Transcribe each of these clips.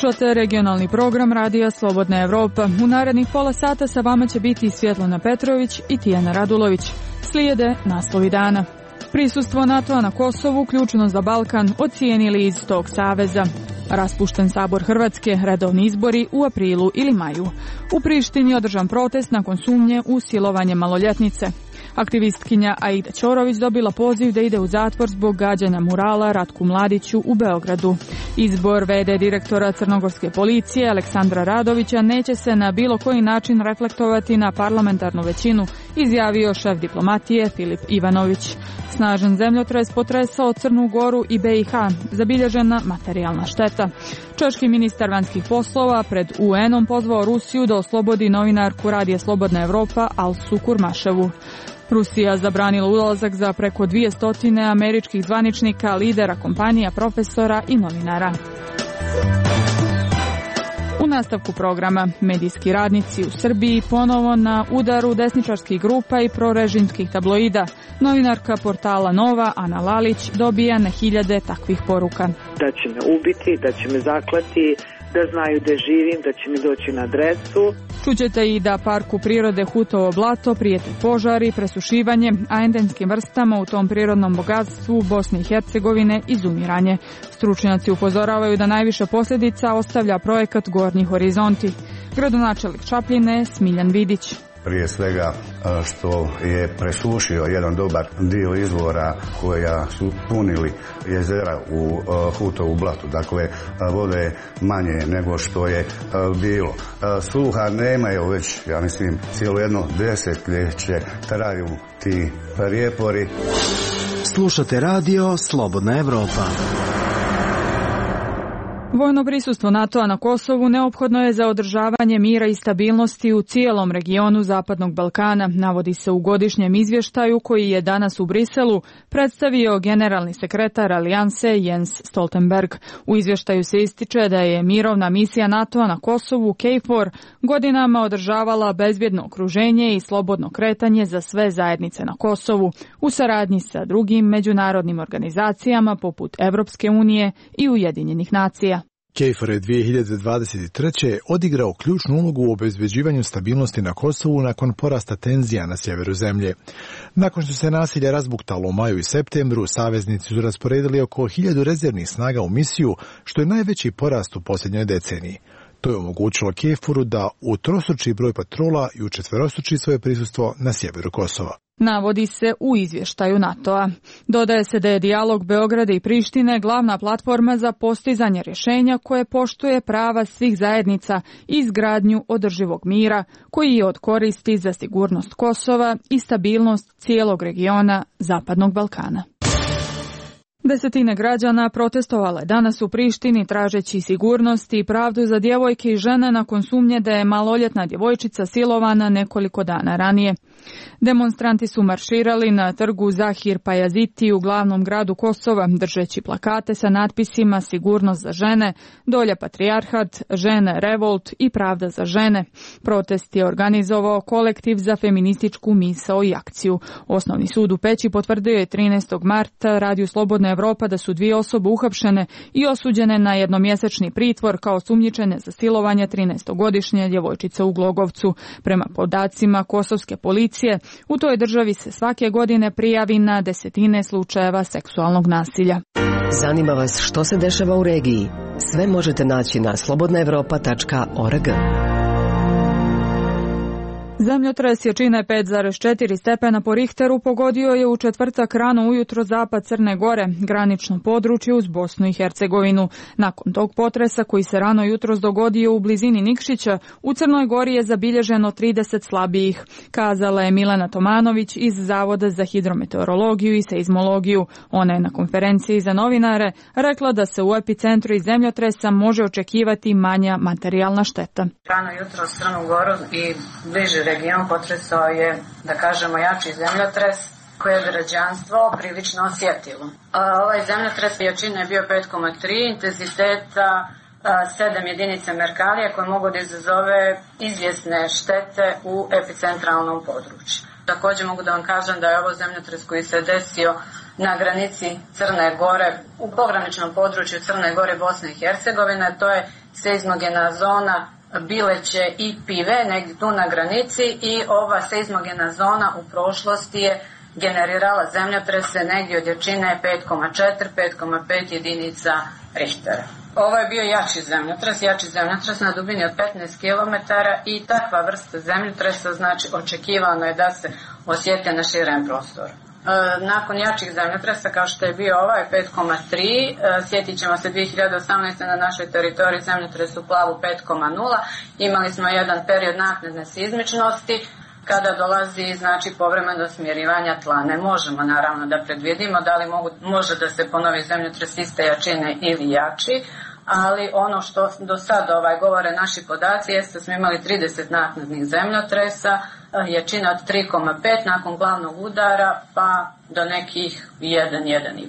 Slušate regionalni program Radija Slobodna Evropa. U narednih pola sata sa vama će biti Svjetlana Petrović i Tijana Radulović. Slijede naslovi dana. Prisustvo NATO-a na Kosovu ključno za Balkan, ocijenili iz tog saveza. Raspušten sabor Hrvatske, redovni izbori u aprilu ili maju. U Prištini održan protest nakon sumnje u silovanje maloljetnice. Aktivistkinja Aida Ćorović dobila poziv da ide u zatvor zbog gađanja murala Ratku Mladiću u Beogradu. Izbor v.d. direktora crnogorske policije Aleksandra Radovića neće se na bilo koji način reflektovati na parlamentarnu većinu, izjavio šef diplomatije Filip Ivanović. Snažan zemljotres potresao Crnu Goru i BiH, zabilježena materijalna šteta. Češki ministar vanjskih poslova pred UN-om pozvao Rusiju da oslobodi novinarku Radija Slobodna Evropa Alsu Kurmaševu. Rusija zabranila ulazak za preko 200 američkih zvaničnika, lidera kompanija, profesora i novinara. U nastavku programa, medijski radnici u Srbiji ponovo na udaru desničarskih grupa i prorežimskih tabloida. Novinarka portala Nova, Ana Lalić, dobija na hiljade takvih poruka. Da će me ubiti, da će me zaklati, da znaju da živim, da će mi doći na adresu. Čućete i da parku prirode Hutovo blato prijete požari, presušivanje, a endemskim vrstama u tom prirodnom bogatstvu Bosne i Hercegovine izumiranje. Stručnjaci upozoravaju da najviše posljedica ostavlja projekat Gornji horizonti. Gradonačelnik Čapljine Smiljan Vidić. Prije svega što je presušio jedan dobar dio izvora koja su punili jezera u Hutovu blatu. Dakle, vode manje nego što je bilo. Sluha nemaju već, ja mislim, cijelo jedno desetljeće traju ti prijepori. Slušate radio Slobodna Evropa. Vojno prisustvo NATO-a na Kosovu neophodno je za održavanje mira i stabilnosti u cijelom regionu Zapadnog Balkana, navodi se u godišnjem izvještaju koji je danas u Briselu predstavio generalni sekretar Alijanse Jens Stoltenberg. U izvještaju se ističe da je mirovna misija NATO-a na Kosovu KFOR godinama održavala bezbjedno okruženje i slobodno kretanje za sve zajednice na Kosovu u saradnji sa drugim međunarodnim organizacijama poput Evropske unije i Ujedinjenih nacija. KFOR je 2023. odigrao ključnu ulogu u obezbeđivanju stabilnosti na Kosovu nakon porasta tenzija na sjeveru zemlje. Nakon što se nasilje razbuktalo u maju i septembru, saveznici su rasporedili oko 1000 rezervnih snaga u misiju, što je najveći porast u posljednjoj deceniji. To je omogućilo KFOR-u da utrostruči broj patrola i učetverostruči svoje prisustvo na sjeveru Kosova. Navodi se u izvještaju NATO-a. Dodaje se da je dijalog Beograda i Prištine glavna platforma za postizanje rješenja koje poštuje prava svih zajednica i izgradnju održivog mira, koji je od koristi za sigurnost Kosova i stabilnost cijelog regiona Zapadnog Balkana. Desetine građana protestovale danas u Prištini tražeći sigurnost i pravdu za djevojke i žene nakon sumnje da je maloljetna djevojčica silovana nekoliko dana ranije. Demonstranti su marširali na trgu Zahir Pajaziti u glavnom gradu Kosova, držeći plakate sa natpisima Sigurnost za žene, Dolje patrijarhat, Žene revolt i Pravda za žene. Protest je organizovao kolektiv za feminističku misao i akciju. Osnovni sud u Peći potvrdio je 13. marta Radiju Slobodna Evropa da su 2 osobe uhapšene i osuđene na jednomjesečni pritvor kao sumnjičene za silovanje 13-godišnje djevojčice u Glogovcu. Prema podacima kosovske policije, u toj državi se svake godine prijavi na desetine slučajeva seksualnog nasilja. Zanima vas što se dešava u regiji? Sve možete naći na slobodnaevropa.org. Zemljotres jačine 5,4 stepena po Richteru pogodio je u četvrtak rano ujutro zapad Crne Gore, granično područje uz Bosnu i Hercegovinu. Nakon tog potresa koji se rano jutros dogodio u blizini Nikšića, u Crnoj Gori je zabilježeno 30 slabijih, kazala je Milena Tomanović iz Zavoda za hidrometeorologiju i seizmologiju. Ona je na konferenciji za novinare rekla da se u epicentru iz zemljotresa može očekivati manja materijalna šteta. Rano jutro Crnu Goru i bliže region potresao je, da kažemo, jači zemljotres koje je građanstvo prilično osjetilo. Ovaj zemljotres jačine je bio 5,3, intenziteta 7 jedinica Merkalija koje mogu da izazove izvjesne štete u epicentralnom području. Također mogu da vam kažem da je ovo zemljotres koji se desio na granici Crne Gore, u pograničnom području Crne Gore i Bosne i Hercegovine. To je seizmogena zona Bileće i Pive, negdje tu na granici, i ova seizmogena zona u prošlosti je generirala zemljotrese negdje od jačine 5,4, 5,5 jedinica Richtera. Ovo je bio jači zemljotres na dubini od 15 km i takva vrsta zemljotresa, znači očekivano je da se osjeti na širem prostoru. Nakon jačih zemljotresa kao što je bio ovaj 5,3, sjetit ćemo se 2018. na našoj teritoriji zemljotres u Plavu 5,0, imali smo jedan period naknadne seizmičnosti kada dolazi znači povremeno smirivanja tla. Ne možemo naravno da predvidimo da li može da se ponovi zemljotres iste jačine ili jači, ali ono što do sada govore naši podaci jeste da smo imali 30 naknadnih zemljotresa, jačina od 3,5 nakon glavnog udara pa do nekih 1,5.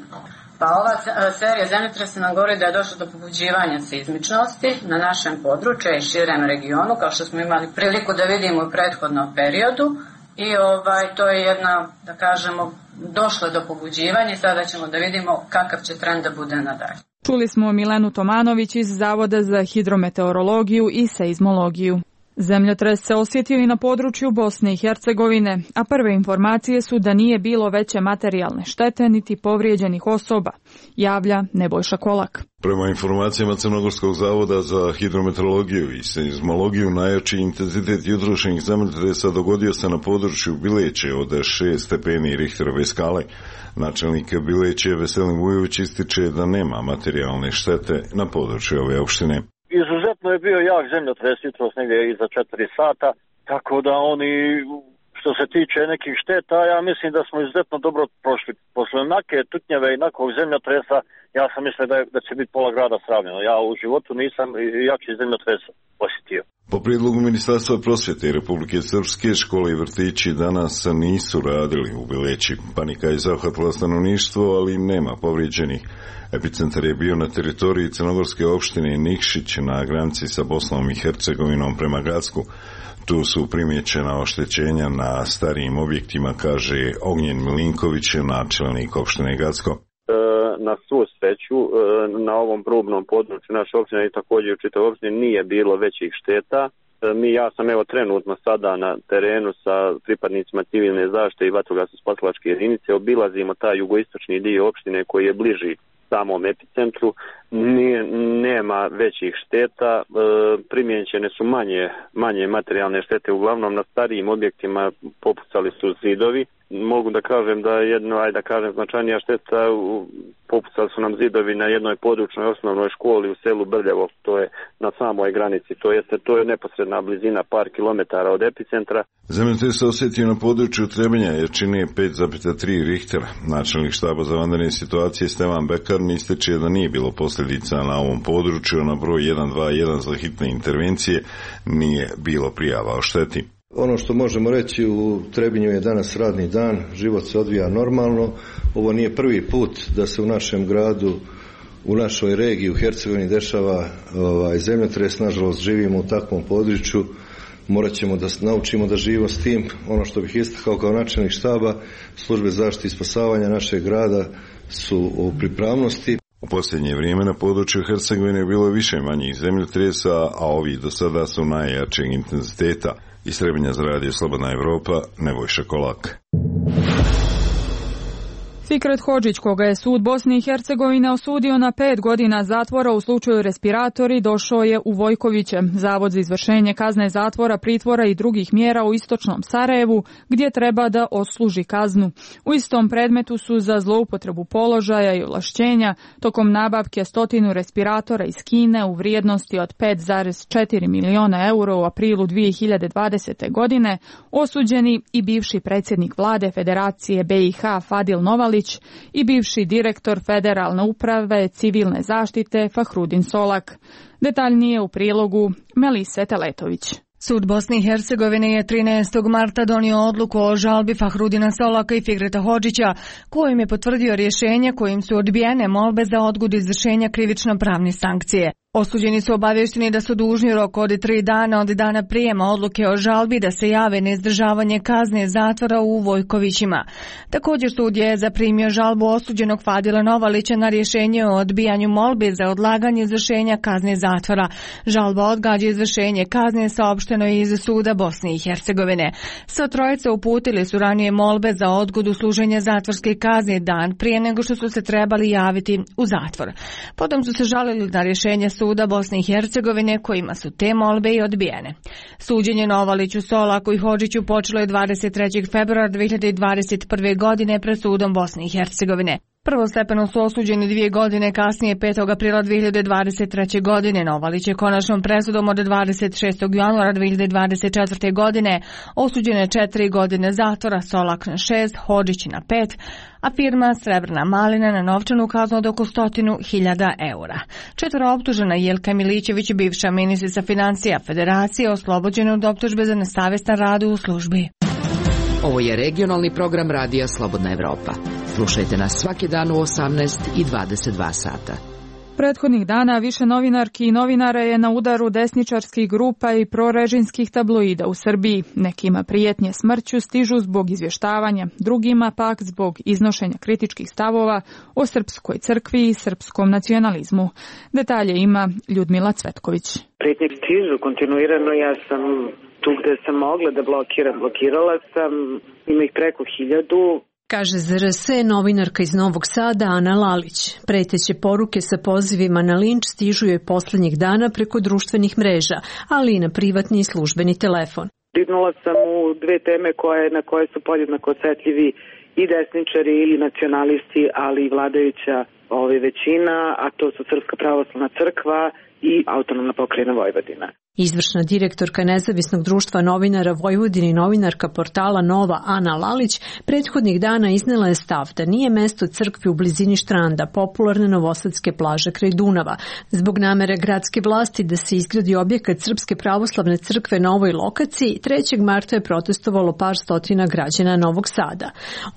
Pa ova serija zemljotresa nam govori da je došlo do pobuđivanja seizmičnosti na našem području i širem regionu, kao što smo imali priliku da vidimo u prethodnom periodu. I to je jedna, da kažemo, došlo do pobuđivanja i sada ćemo da vidimo kakav će trend da bude nadalje. Čuli smo Milenu Tomanović iz Zavoda za hidrometeorologiju i seizmologiju. Zemljotres se osjetio i na području Bosne i Hercegovine, a prve informacije su da nije bilo veće materijalne štete niti povrijeđenih osoba, javlja Nebojša Kolak. Prema informacijama Crnogorskog zavoda za hidrometeorologiju i seizmologiju, najjači intenzitet jutrošnjih zemljotresa dogodio se na području Bileće od 6 stepeni Richterove skale. Načelnik Bileće Veselin Vujović ističe da nema materijalne štete na području ove opštine. Izuzetno je bio jak zemljotres jutros negdje iza 4 sata, tako da oni, što se tiče nekih šteta, ja mislim da smo izuzetno dobro prošli. Posle onake tutnjeve i nakog zemljotresa, ja sam mislio da će biti pola grada sravnjeno. Ja u životu nisam jači zemljotres osjetio. Po prijedlogu Ministarstva prosvjete Republike Srpske, škole i vrtići danas nisu radili u Bileći. Panika je zahvatila stanovništvo, ali nema povrijeđenih. Epicentar je bio na teritoriji crnogorske opštine Nikšić na granici sa Bosnom i Hercegovinom prema Gacku. Tu su primjećena oštećenja na starijim objektima, kaže Ognjen Milinković, načelnik opštine Gacko. Na svu sreću, na ovom probnom području naše opštine i također u čitavoj opštini nije bilo većih šteta. Ja sam trenutno sada na terenu sa pripadnicima civilne zaštite i vatrogasno-spasilačke jedinice. Obilazimo taj jugoistočni dio opštine koji je bliži samom epicentru. Nema većih šteta, primijećene su manje materijalne štete, uglavnom na starijim objektima popucali su zidovi. Mogu da kažem da značajnija šteta, popucali su nam zidovi na jednoj područnoj osnovnoj školi u selu Brljevo, to je na samoj granici, to je neposredna blizina par kilometara od epicentra. Zemljotres se osjetio na području Trebinja jačine 5,3 Richtera. Načelnik štaba za vanredne situacije Stevan Bekarn ističe da nije bilo posljedica na ovom području, na broj 121 za hitne intervencije nije bilo prijava o šteti. Ono što možemo reći, u Trebinju je danas radni dan, život se odvija normalno. Ovo nije prvi put da se u našem gradu, u našoj regiji, u Hercegovini dešava zemljotres. Nažalost, živimo u takvom području, morat ćemo da naučimo da živimo s tim. Ono što bih istakao kao načelnik štaba, službe zaštite i spasavanja našeg grada su u pripravnosti. U posljednje vrijeme na području Hercegovine bilo je više manjih zemljotresa, a ovi do sada su najjačeg intenziteta. Iz Trebinja za radio Slobodna Evropa, Nebojša Kolak. Fikret Hodžić, koga je sud Bosne i Hercegovine osudio na 5 godina zatvora u slučaju respiratori, došao je u Vojkoviće, zavod za izvršenje kazne zatvora, pritvora i drugih mjera u istočnom Sarajevu, gdje treba da odsluži kaznu. U istom predmetu su za zloupotrebu položaja i ovlašćenja tokom nabavke 100 respiratora iz Kine u vrijednosti od 5,4 miliona eura u aprilu 2020. godine osuđeni i bivši predsjednik vlade Federacije BiH Fadil Novalić i bivši direktor Federalne uprave civilne zaštite Fahrudin Solak. Detaljnije u prilogu Melise Teletović. Sud Bosne i Hercegovine je 13. marta donio odluku o žalbi Fahrudina Solaka i Fikreta Hodžića, kojim je potvrdio rješenje kojim su odbijene molbe za odgodu izvršenja krivično-pravne sankcije. Osuđeni su obavješteni da su dužni rok od 3 dana od dana prijema odluke o žalbi da se jave na izdržavanje kazne zatvora u Vojkovićima. Također sud je zaprimio žalbu osuđenog Fadila Novalića na rješenje o odbijanju molbe za odlaganje izvršenja kazne zatvora. Žalba odgađa izvršenje kazne saopšteno je iz suda Bosne i Hercegovine. Sva trojica uputili su ranije molbe za odgodu služenja zatvorske kazne dan prije nego što su se trebali javiti u zatvor. Potom su se žalili na rješenje suda Bosne i Hercegovine kojima su te molbe i odbijene. Suđenje Novaliću, Solaku i Hodžiću počelo je 23. februara 2021. godine pred sudom Bosne i Hercegovine. Prvostepeno su osuđeni 2 godine kasnije, 5. aprila 2023. godine. Novalić je konačnom presudom od 26. januara 2024. godine osuđen je 4 godine zatvora, Solak na 6, Hodžić na 5, a firma Srebrna malina na novčanu kaznu od oko 100.000 eura. 4 optužena Jelka Milićević, bivša ministrica financija Federacije, oslobođena od optužbe za nesavjestan rad u službi. Ovo je regionalni program Radija Slobodna Evropa. Slušajte nas svaki dan u 18 i 22 sata. Prethodnih dana više novinarki i novinara je na udaru desničarskih grupa i prorežimskih tabloida u Srbiji. Nekima prijetnje smrću stižu zbog izvještavanja, drugima pak zbog iznošenja kritičkih stavova o srpskoj crkvi i srpskom nacionalizmu. Detalje ima Ljudmila Cvetković. Prijetnje stižu kontinuirano, ja sam tu gde sam mogla da blokiram, blokirala sam, ima ih preko 1000. Kaže ZRS novinarka iz Novog Sada Ana Lalić. Preteće poruke sa pozivima na linč stižu joj posljednjih dana preko društvenih mreža, ali i na privatni i službeni telefon. Dignula sam u 2 teme na koje su podjednako osjetljivi i desničari ili nacionalisti, ali i vladajuća većina, a to su Srpska pravoslavna crkva i Autonomna pokrajina Vojvodina. Izvršna direktorka Nezavisnog društva novinara Vojvodine i novinarka portala Nova Ana Lalić prethodnih dana iznela je stav da nije mesto crkvi u blizini Štranda, popularne novosadske plaže kraj Dunava. Zbog namere gradske vlasti da se izgradi objekat Srpske pravoslavne crkve na ovoj lokaciji, 3. marta je protestovalo par stotina građana Novog Sada.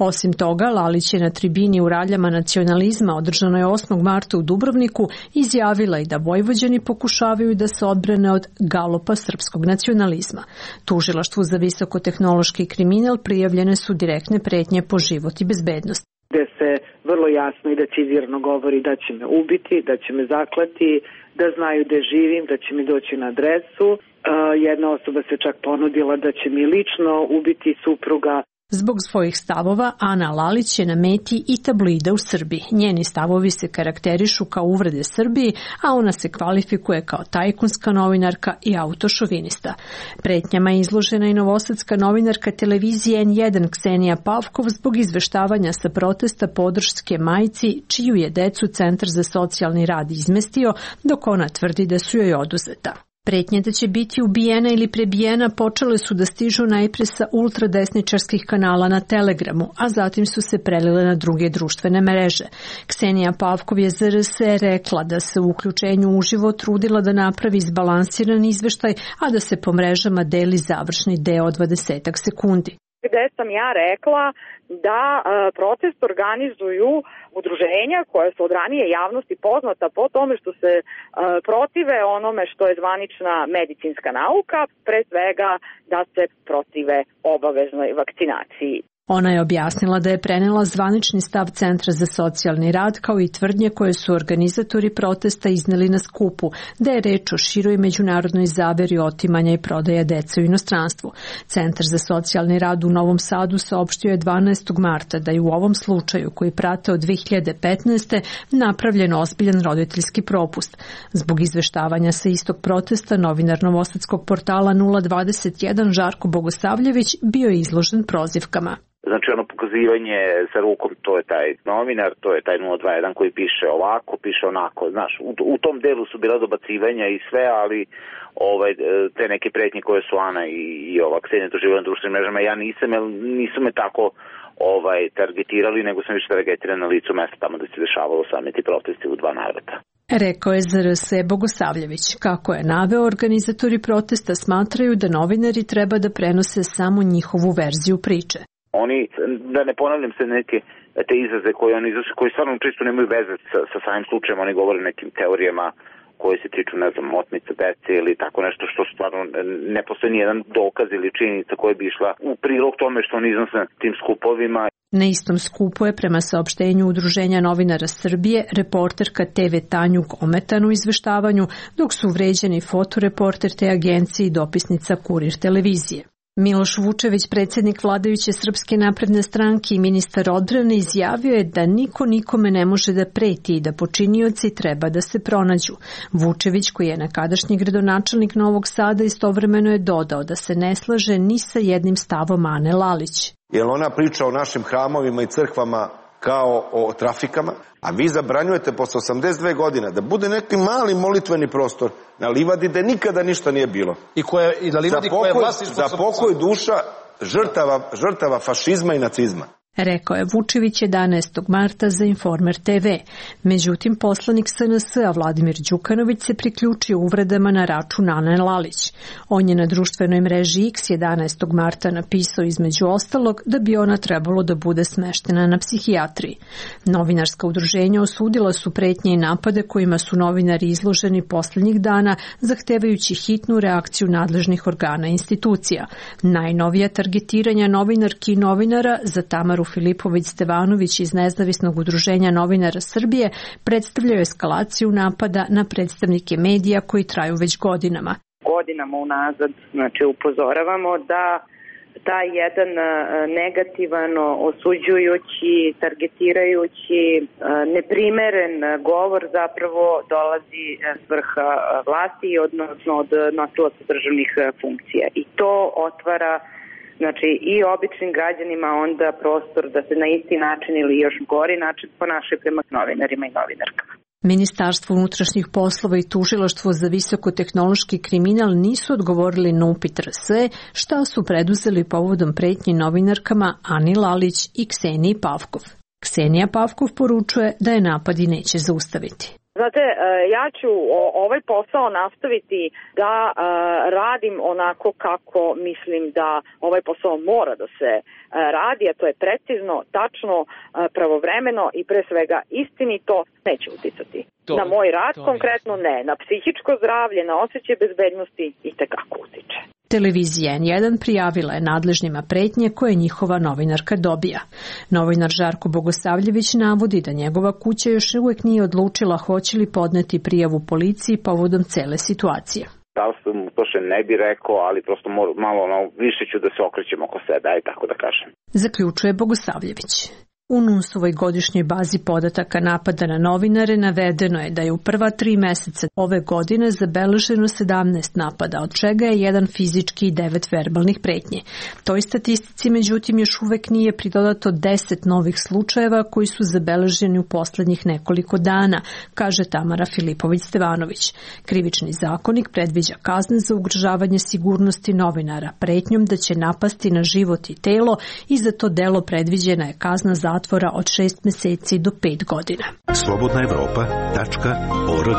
Osim toga, Lalić je na tribini u raljama nacionalizma održanoj 8. marta u Dubrovniku izjavila i da Vojvođani pokušavaju da se odbrane od galopa srpskog nacionalizma. Tužilaštvu za visokotehnološki kriminal prijavljene su direktne pretnje po život i bezbednost. Gde se vrlo jasno i decizirano govori da će me ubiti, da će me zaklati, da znaju gde živim, da će mi doći na adresu. Jedna osoba se čak ponudila da će mi lično ubiti supruga. Zbog svojih stavova Ana Lalić je na meti i tabloida u Srbiji. Njeni stavovi se karakterišu kao uvrede Srbiji, a ona se kvalifikuje kao tajkunska novinarka i autošovinista. Pretnjama je izložena i novosadska novinarka televizije N1 Ksenija Pavkov zbog izveštavanja sa protesta podrške majci, čiju je decu Centar za socijalni rad izmestio, dok ona tvrdi da su joj oduzeta. Pretnje da će biti ubijena ili prebijena počele su da stižu najpre sa ultradesničarskih kanala na Telegramu, a zatim su se prelile na druge društvene mreže. Ksenija Pavkov je ZRS rekla da se u uključenju uživo trudila da napravi izbalansiran izveštaj, a da se po mrežama deli završni deo od 20 sekundi. Gde sam ja rekla da protest organizuju udruženja koja su od ranije javnosti poznata po tome što se protive onome što je zvanična medicinska nauka, pre svega da se protive obaveznoj vakcinaciji. Ona je objasnila da je prenela zvanični stav Centra za socijalni rad kao i tvrdnje koje su organizatori protesta izneli na skupu, da je reč o široj međunarodnoj zaveri otimanja i prodaja dece u inostranstvu. Centar za socijalni rad u Novom Sadu saopštio je 12. marta da je u ovom slučaju, koji prate od 2015. napravljen ozbiljan roditeljski propust. Zbog izveštavanja sa istog protesta, novinar novosadskog portala 021 Žarko Bogosavljević bio je izložen prozivkama. Znači ono pokazivanje sa rukom, to je taj novinar, to je taj 021 koji piše ovako, piše onako, znaš, u tom delu su bila dobacivanja i sve, ali te neke pretnje koje su Ana i ova Ksenija doživjela na društvenim mrežama, ja nisam, jer nisu me tako targetirali, nego sam više targetiran na licu mesta tamo da se dešavalo sami ti protesti u 2 navrata. Rekao je ZRS Bogosavljević. Kako je naveo, organizatori protesta smatraju da novinari treba da prenose samo njihovu verziju priče. Oni, da ne ponavljam se neke te izraze koje oni iznose, koji stvarno čisto nemaju veze sa samim slučajem, oni govore nekim teorijama koje se tiču, ne znam, otmica dece ili tako nešto što stvarno ne postoji nijedan dokaz ili činjenica koja bi išla u prilog tome što on iznose na tim skupovima. Na istom skupu je, prema saopštenju Udruženja novinara Srbije, reporterka TV Tanjuk ometana u izveštavanju, dok su vređani fotoreporter te agencije i dopisnica Kurir televizije. Miloš Vučević, predsjednik vladajuće Srpske napredne stranke i ministar odbrane, izjavio je da niko nikome ne može da preti i da počinioci treba da se pronađu. Vučević, koji je nekadašnji gradonačelnik Novog Sada, istovremeno je dodao da se ne slaže ni sa jednim stavom Ane Lalić. Jer ona priča o našim hramovima i crkvama kao o trafikama, a vi zabranjujete posle 82 godina da bude neki mali molitveni prostor na livadi gde nikada ništa nije bilo. I na livadi koja je vlasništvo za pokoj duša žrtava fašizma i nacizma. Rekao je Vučević 11. marta za Informer TV. Međutim, poslanik SNS-a Vladimir Đukanović se priključio uvredama na račun Ane Lalić. On je na društvenoj mreži X 11. marta napisao između ostalog da bi ona trebalo da bude smeštena na psihijatriji. Novinarska udruženja osudila su pretnje i napade kojima su novinari izloženi posljednjih dana, zahtevajući hitnu reakciju nadležnih organa i institucija. Najnovija targetiranja novinarki i novinara za Tamaru Filipović-Stevanović iz Nezavisnog udruženja novinara Srbije predstavljaju eskalaciju napada na predstavnike medija koji traju već godinama. Godinama unazad, znači, upozoravamo da taj jedan negativano osuđujući, targetirajući, neprimeren govor zapravo dolazi s vrha vlasti, odnosno od nosilaca državnih funkcija. I to otvara, znači, i običnim građanima onda prostor da se na isti način ili još gori način ponašaju prema novinarima i novinarkama. Ministarstvo unutrašnjih poslova i tužilaštvo za visokotehnološki kriminal nisu odgovorili na upit RS, šta su preduzeli povodom pretnji novinarkama Ani Lalić i Kseniji Pavkov. Ksenija Pavkov poručuje da je napadi neće zaustaviti. Znate, ja ću ovaj posao nastaviti da radim onako kako mislim da ovaj posao mora da se radi, a to je precizno, tačno, pravovremeno i pre svega istinito. Neće uticati na moj rad, konkretno ne, na psihičko zdravlje, na osjećaj bezbednosti i tekako utiče. Televizija N1 prijavila je nadležnima pretnje koje njihova novinarka dobija. Novinar Žarko Bogosavljević navodi da njegova kuća još uvijek nije odlučila hoće li podneti prijavu policiji povodom cele situacije. Da li sam to što ne bi rekao, ali prosto malo više ću da se okrećem oko sebe, aj tako da kažem. Zaključuje Bogosavljević. U NUNS-ovoj godišnjoj bazi podataka napada na novinare navedeno je da je u prva 3 meseca ove godine zabeleženo 17 napada, od čega je 1 fizički i 9 verbalnih pretnji. Toj statistici, međutim, još uvek nije pridodato 10 novih slučajeva koji su zabeleženi u poslednjih nekoliko dana, kaže Tamara Filipović-Stevanović. Krivični zakonik predviđa kazne za ugrožavanje sigurnosti novinara pretnjom da će napasti na život i telo i za to delo predviđena je kazna zatvora od 6 meseci do 5 godina. slobodnaevropa.org.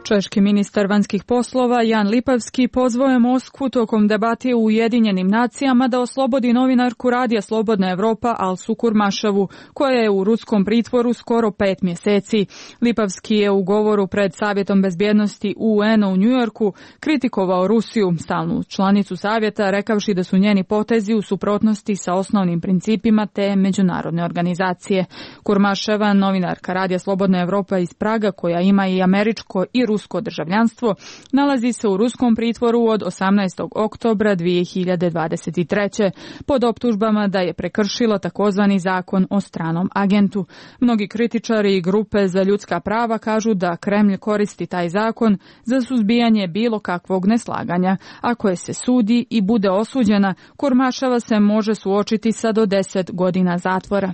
Češki ministar vanjskih poslova Jan Lipavski pozvao je Moskvu tokom debate u Ujedinjenim nacijama da oslobodi novinarku Radija Slobodna Evropa Alsu Kurmaševu, koja je u ruskom pritvoru skoro 5 mjeseci. Lipavski je u govoru pred Savjetom bezbjednosti UN-a u Njujorku kritikovao Rusiju, stalnu članicu Savjeta, rekavši da su njeni potezi u suprotnosti sa osnovnim principima te međunarodne organizacije. Kurmaševa, novinarka Radija Slobodna Evropa iz Praga, koja ima i američko i rusko državljanstvo, nalazi se u ruskom pritvoru od 18. oktobra 2023. pod optužbama da je prekršila takozvani zakon o stranom agentu. Mnogi kritičari i grupe za ljudska prava kažu da Kremlj koristi taj zakon za suzbijanje bilo kakvog neslaganja. Ako je se sudi i bude osuđena, Kurmaševa se može suočiti sa do 10 godina zatvora.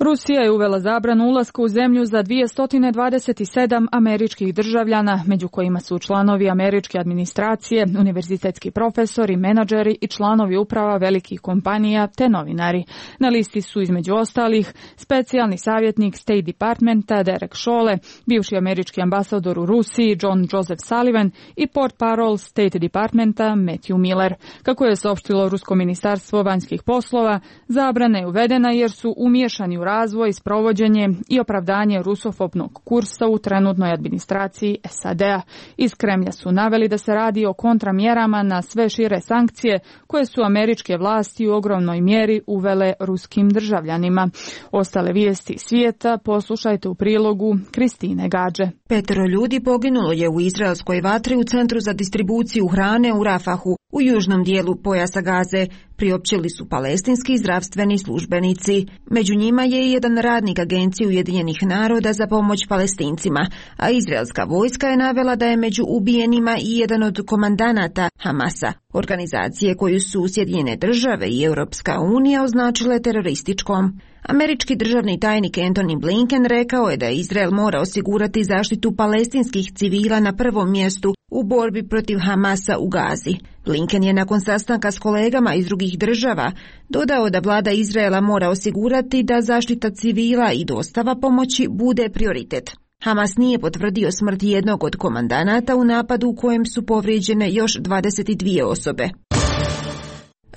Rusija je uvela zabranu ulaska u zemlju za 227 američkih državljana, među kojima su članovi američke administracije, univerzitetski profesori, menadžeri i članovi uprava velikih kompanija te novinari. Na listi su između ostalih specijalni savjetnik State Departmenta Derek Chollet, bivši američki ambasador u Rusiji John Joseph Sullivan i portparol State Departmenta Matthew Miller. Kako je saopštilo Rusko ministarstvo vanjskih poslova, zabrana je uvedena jer su umiješani u razvoj, sprovođenje i opravdanje rusofobnog kursa u trenutnoj administraciji SAD-a. Iz Kremlja su naveli da se radi o kontramjerama na sve šire sankcije koje su američke vlasti u ogromnoj mjeri uvele ruskim državljanima. Ostale vijesti svijeta poslušajte u prilogu Kristine Gađe. 5 ljudi poginulo je u izraelskoj vatri u centru za distribuciju hrane u Rafahu, u južnom dijelu pojasa Gaze, priopćili su palestinski zdravstveni službenici. Među njima je i jedan radnik Agencije Ujedinjenih naroda za pomoć Palestincima, a izraelska vojska je navela da je među ubijenima i jedan od komandanata Hamasa, organizacije koju su Sjedinjene države i Europska unija označile terorističkom. Američki državni tajnik Antony Blinken rekao je da Izrael mora osigurati zaštitu palestinskih civila na prvom mjestu u borbi protiv Hamasa u Gazi. Blinken je nakon sastanka s kolegama iz drugih država dodao da vlada Izraela mora osigurati da zaštita civila i dostava pomoći bude prioritet. Hamas nije potvrdio smrt jednog od komandanata u napadu u kojem su povrijeđene još 22 osobe.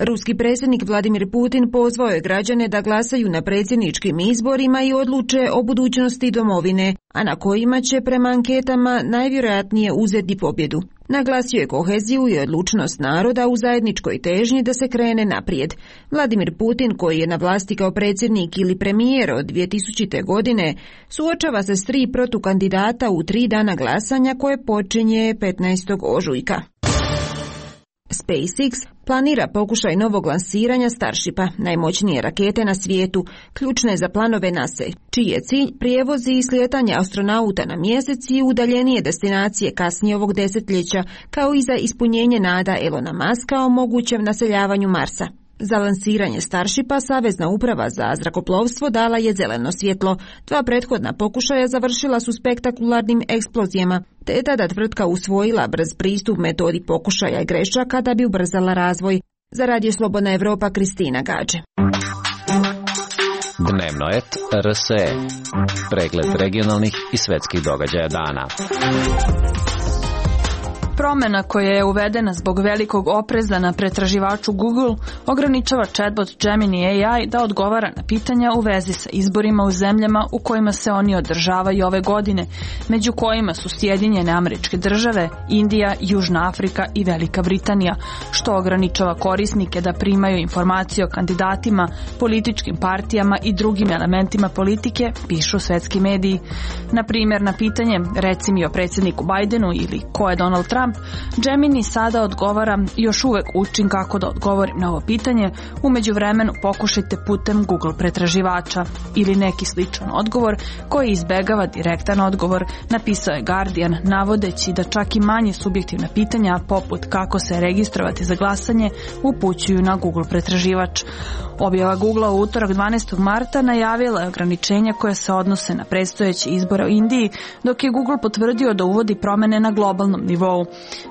Ruski predsjednik Vladimir Putin pozvao je građane da glasaju na predsjedničkim izborima i odluče o budućnosti domovine, a na kojima će prema anketama najvjerojatnije uzeti pobjedu. Naglasio je koheziju i odlučnost naroda u zajedničkoj težnji da se krene naprijed. Vladimir Putin, koji je na vlasti kao predsjednik ili premijer od 2000. godine, suočava se s 3 protukandidata u 3 dana glasanja koje počinje 15. ožujka. SpaceX planira pokušaj novog lansiranja Starshipa, najmoćnije rakete na svijetu, ključne za planove NASA, čiji je cilj prijevozi i slijetanje astronauta na mjesec i udaljenije destinacije kasnije ovog desetljeća, kao i za ispunjenje nada Elona Muska o mogućem naseljavanju Marsa. Za lansiranje Starshipa Savezna uprava za zrakoplovstvo dala je zeleno svjetlo. 2 prethodna pokušaja završila su spektakularnim eksplozijama, te je tada tvrtka usvojila brz pristup metodi pokušaja i grešaka da bi ubrzala razvoj. Za Radio Slobodna Evropa, Kristina Gađe. Dnevno et RSE. Pregled regionalnih i svetskih događaja dana. Promjena koja je uvedena zbog velikog opreza na pretraživaču Google ograničava chatbot Gemini AI da odgovara na pitanja u vezi sa izborima u zemljama u kojima se oni održavaju ove godine, među kojima su Sjedinjene Američke Države, Indija, Južna Afrika i Velika Britanija, što ograničava korisnike da primaju informacije o kandidatima, političkim partijama i drugim elementima politike, pišu svetski mediji. Na primjer, na pitanje reci mi o predsjedniku Bidenu ili ko je Donald Trump, Gemini sada odgovara još uvek učim kako da odgovorim na ovo pitanje, u međuvremenu pokušajte putem Google pretraživača ili neki sličan odgovor koji izbegava direktan odgovor, napisao je Guardian, navodeći da čak i manje subjektivna pitanja poput kako se registrovati za glasanje upućuju na Google pretraživač. Objava Google u utorak 12. marta najavila je ograničenja koje se odnose na predstojeće izbore u Indiji, dok je Google potvrdio da uvodi promjene na globalnom nivou.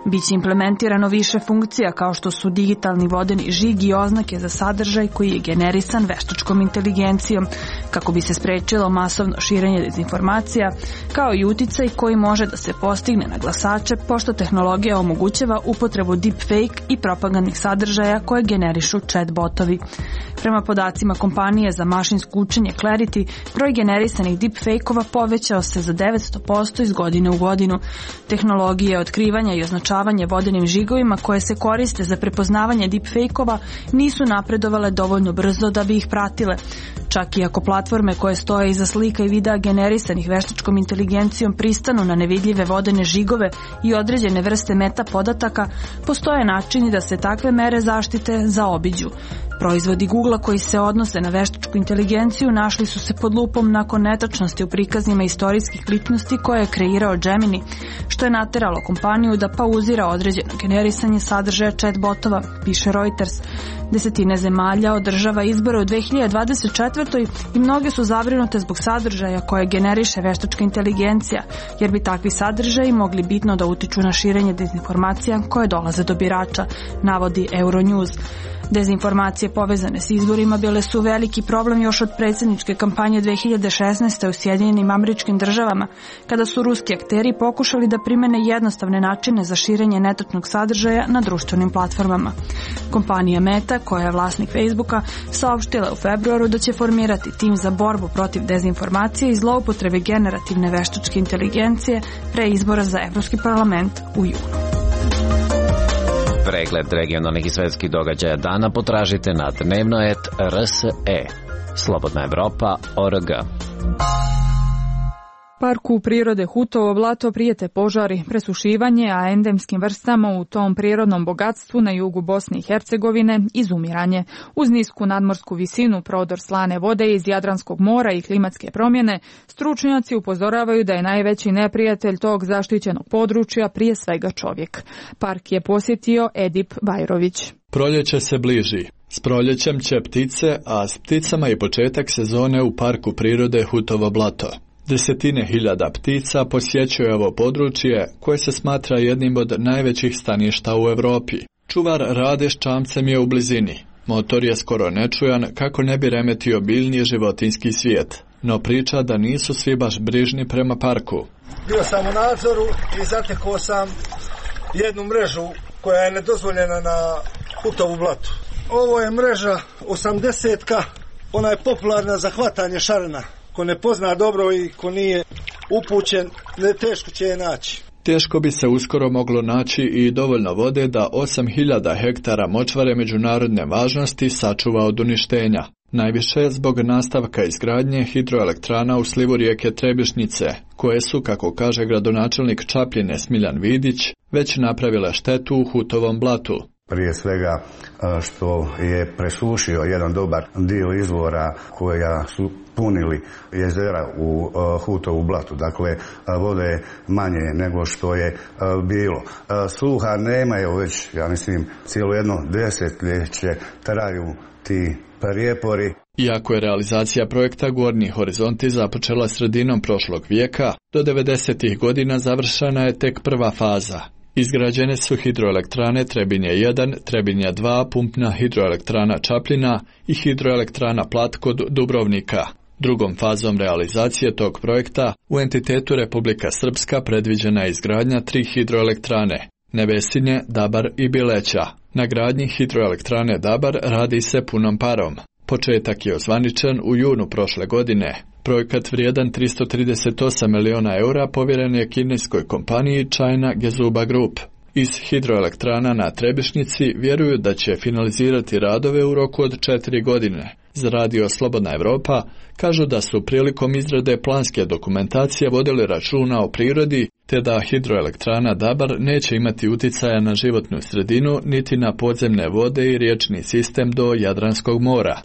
Biće implementirano više funkcija kao što su digitalni vodeni žig i oznake za sadržaj koji je generisan veštačkom inteligencijom, kako bi se sprečilo masovno širenje dezinformacija, kao i uticaj koji može da se postigne na glasače, pošto tehnologija omogućava upotrebu deepfake i propagandnih sadržaja koje generišu chatbotovi. Prema podacima kompanije za mašinsko učenje Clarity, broj generisanih deepfake-ova povećao se za 900% iz godine u godinu. Tehnologije otkrivanja i označavanje vodenim žigovima koje se koriste za prepoznavanje deepfake-ova nisu napredovale dovoljno brzo da bi ih pratile. Čak i ako platforme koje stoje iza slika i videa generisanih veštačkom inteligencijom pristanu na nevidljive vodene žigove i određene vrste meta podataka, postoje načini da se takve mere zaštite zaobiđu. Proizvodi Googlea koji se odnose na veštačku inteligenciju našli su se pod lupom nakon netačnosti u prikazima istorijskih ličnosti koje je kreirao Gemini, što je nateralo kompaniju da pauzira određeno generisanje sadržaja chatbotova, piše Reuters. Desetine zemalja održava izbore u 2024. i mnoge su zabrinute zbog sadržaja koje generiše veštačka inteligencija, jer bi takvi sadržaji mogli bitno da utiču na širenje dezinformacija koje dolaze do birača, navodi Euronews. Dezinformacije povezane s izborima bile su veliki problem još od predsjedničke kampanje 2016. u Sjedinjenim Američkim Državama, kada su ruski akteri pokušali da primene jednostavne načine za širenje netačnog sadržaja na društvenim platformama. Kompanija Meta, koja je vlasnik Facebooka, saopštila u februaru da će formirati tim za borbu protiv dezinformacije i zloupotrebe generativne veštačke inteligencije pre izbora za Evropski parlament u junu. Pregled regionalnih i svetskih događaja dana potražite na dnevno.rs.e. Slobodna Evropa.org. Parku prirode Hutovo blato prijete požari, presušivanje, a endemskim vrstama u tom prirodnom bogatstvu na jugu Bosne i Hercegovine izumiranje. Uz nisku nadmorsku visinu, prodor slane vode iz Jadranskog mora i klimatske promjene, stručnjaci upozoravaju da je najveći neprijatelj tog zaštićenog područja prije svega čovjek. Park je posjetio Edip Bajrović. Proljeće se bliži. S proljećem će ptice, a s pticama i početak sezone u Parku prirode Hutovo blato. Desetine hiljada ptica posjećuje ovo područje koje se smatra jednim od najvećih staništa u Europi. Čuvar Rade s čamcem je u blizini. Motor je skoro nečujan kako ne bi remetio biljni životinjski svijet, no priča da nisu svi baš brižni prema parku. Bio sam u nadzoru i zatekao sam jednu mrežu koja je nedozvoljena na Hutovu blatu. Ovo je mreža 80-ka, ona je popularna za hvatanje šarana. Ko ne pozna dobro i ko nije upućen, teško će je naći. Teško bi se uskoro moglo naći i dovoljno vode da 8000 hektara močvare međunarodne važnosti sačuva od uništenja. Najviše zbog nastavka izgradnje hidroelektrana u slivu rijeke Trebišnice, koje su, kako kaže gradonačelnik Čapljine Smiljan Vidić, već napravile štetu u Hutovom blatu. Prije svega što je presušio jedan dobar dio izvora koja su punili jezera u Hutovu blatu. Dakle, vode je manje nego što je bilo. Sluha nema, evo već, ja mislim, cijelo jedno desetljeće traju ti prijepori. Iako je realizacija projekta Gornji horizonti započela sredinom prošlog vijeka, do 90. godina završena je tek prva faza. Izgrađene su hidroelektrane Trebinje 1, Trebinje 2, pumpna hidroelektrana Čapljina i hidroelektrana Plat kod Dubrovnika. Drugom fazom realizacije tog projekta u entitetu Republika Srpska predviđena je izgradnja 3 hidroelektrane, Nevesinje, Dabar i Bileća. Na gradnji hidroelektrane Dabar radi se punom parom. Početak je ozvaničen u junu prošle godine. Projekat vrijedan 338 miliona eura povjeren je kineskoj kompaniji China Gezuba Group. Iz hidroelektrana na Trebišnici vjeruju da će finalizirati radove u roku od 4 godine. Za radio Slobodna Evropa kažu da su prilikom izrade planske dokumentacije vodili računa o prirodi, te da hidroelektrana Dabar neće imati uticaja na životnu sredinu niti na podzemne vode i riječni sistem do Jadranskog mora.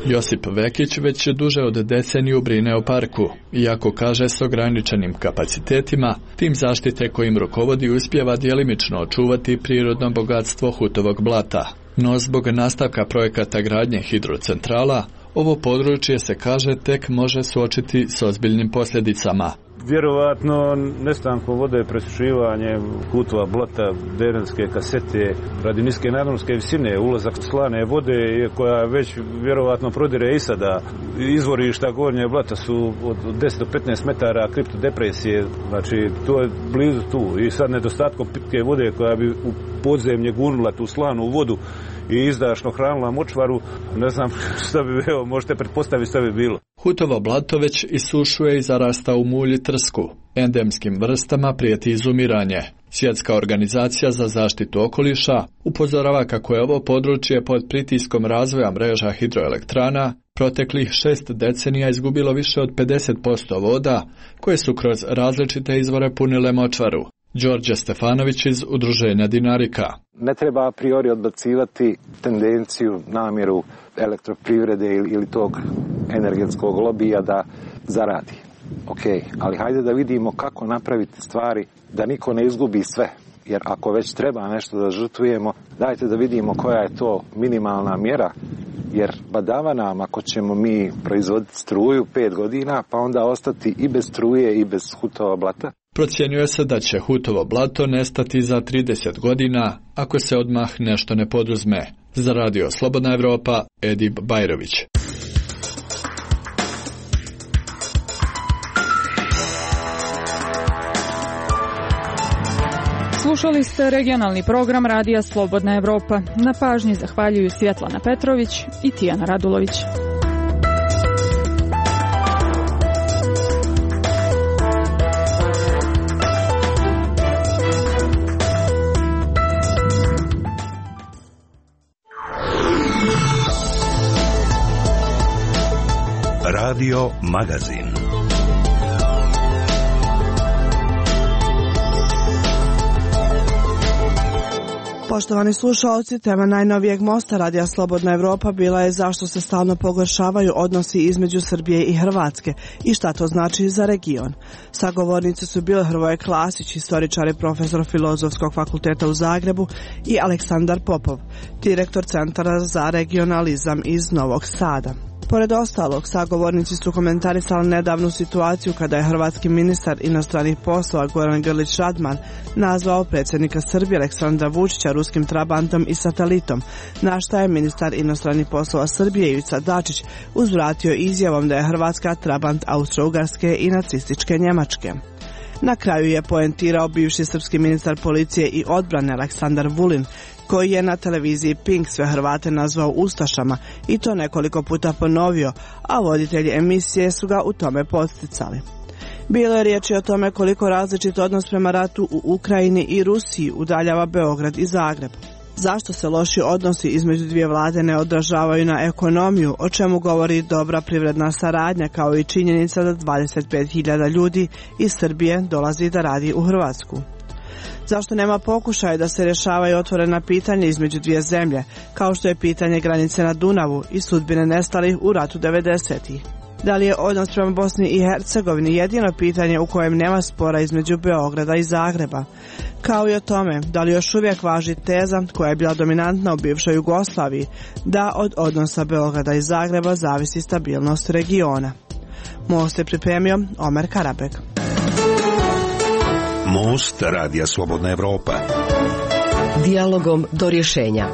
Josip Vekić već duže od deceniju brine o parku, iako kaže s ograničenim kapacitetima, tim zaštite kojim rukovodi uspijeva djelimično očuvati prirodno bogatstvo Hutovog blata. No zbog nastavka projekata gradnje hidrocentrala, ovo područje se kaže tek može suočiti s ozbiljnim posljedicama. Vjerovatno nestankom vode, presušivanje Hutova blata, Drenske kasete, radi niske nadmorske visine, ulazak slane vode koja već vjerovatno prodire i sada. Izvorišta Gornje blata su od 10 do 15 metara kriptodepresije, znači to je blizu tu. I sad nedostatkom pitke vode koja bi u podzemlje gurnula tu slanu vodu i izdašno hranila močvaru, ne znam što bi bilo, možete pretpostaviti što bi bilo. Hutovo blato već isušuje i zarasta u mulj i trsku. Endemskim vrstama prijeti izumiranje. Svjetska organizacija za zaštitu okoliša upozorava kako je ovo područje pod pritiskom razvoja mreža hidroelektrana proteklih 6 decenija izgubilo više od 50% voda koje su kroz različite izvore punile močvaru. Đorđe Stefanović iz Udruženja Dinarika. Ne treba a priori odbacivati tendenciju, namjeru elektroprivrede ili tog energetskog lobija da zaradi. Ok, ali hajde da vidimo kako napraviti stvari da niko ne izgubi sve. Jer ako već treba nešto da žrtvujemo, dajte da vidimo koja je to minimalna mjera. Jer badava nam ako ćemo mi proizvoditi struju 5 godina, pa onda ostati i bez struje i bez Hutova blata. Procjenjuje se da će Hutovo blato nestati za 30 godina ako se odmah nešto ne poduzme. Za radio Slobodna Evropa, Edip Bajrović. Slušali ste regionalni program Radija Slobodna Evropa. Na pažnji zahvaljuju Svjetlana Petrović i Tijana Radulović. Radio Magazin. Poštovani slušalci, tema najnovijeg mosta Radija Slobodna Evropa bila je zašto se stalno pogoršavaju odnosi između Srbije i Hrvatske i šta to znači za region. Sagovornici su bili Hrvoje Klasić, historičar i profesor Filozofskog fakulteta u Zagrebu, i Aleksandar Popov, direktor Centra za regionalizam iz Novog Sada. Pored ostalog, sagovornici su komentarisali nedavnu situaciju kada je hrvatski ministar inostranih poslova Goran Grlić Radman nazvao predsjednika Srbije Aleksandra Vučića ruskim trabantom i satelitom, na šta je ministar inostranih poslova Srbije Ivica Dačić uzvratio izjavom da je Hrvatska trabant Austro-Ugarske i nacističke Njemačke. Na kraju je poentirao bivši srpski ministar policije i odbrane Aleksandar Vulin, koji je na televiziji Pink sve Hrvate nazvao ustašama i to nekoliko puta ponovio, a voditelji emisije su ga u tome podsticali. Bilo je riječi o tome koliko različit odnos prema ratu u Ukrajini i Rusiji udaljava Beograd i Zagreb. Zašto se loši odnosi između dvije vlade ne odražavaju na ekonomiju, o čemu govori dobra privredna saradnja, kao i činjenica da 25.000 ljudi iz Srbije dolazi da radi u Hrvatsku. Zašto nema pokušaja da se rješavaju otvorena pitanja između dvije zemlje, kao što je pitanje granice na Dunavu i sudbine nestalih u ratu 90-ih? Da li je odnos prema Bosni i Hercegovini jedino pitanje u kojem nema spora između Beograda i Zagreba? Kao i o tome, da li još uvijek važi teza koja je bila dominantna u bivšoj Jugoslaviji, da od odnosa Beograda i Zagreba zavisi stabilnost regiona? Most je pripremio Omer Karabek. Most Radija Slobodna Evropa. Dijalogom do rješenja.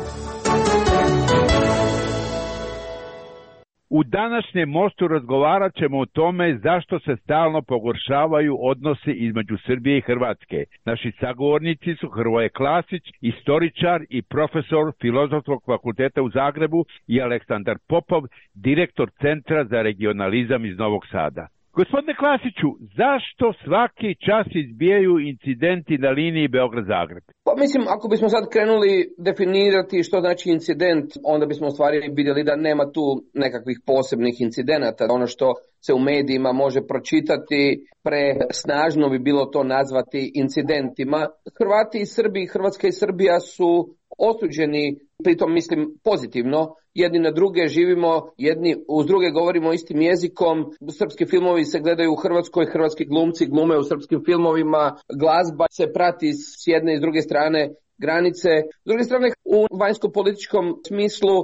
U današnjem mostu razgovarat ćemo o tome zašto se stalno pogoršavaju odnosi između Srbije i Hrvatske. Naši sagovornici su Hrvoje Klasić, historičar i profesor Filozofskog fakulteta u Zagrebu, i Aleksandar Popov, direktor Centra za regionalizam iz Novog Sada. Gospodine Klasiću, zašto svaki čas izbijaju incidenti na liniji Beograd-Zagreb? Pa mislim, ako bismo sad krenuli definirati što znači incident, onda bismo u stvari vidjeli da nema tu nekakvih posebnih incidenata. Ono što se u medijima može pročitati, presnažno bi bilo to nazvati incidentima. Hrvati i Srbi, Hrvatska i Srbija su osuđeni, pritom mislim pozitivno, jedni na druge, živimo, jedni uz druge govorimo istim jezikom, srpski filmovi se gledaju u Hrvatskoj, hrvatski glumci glume u srpskim filmovima, glazba se prati s jedne i s druge strane granice. S druge strane, u vanjsko-političkom smislu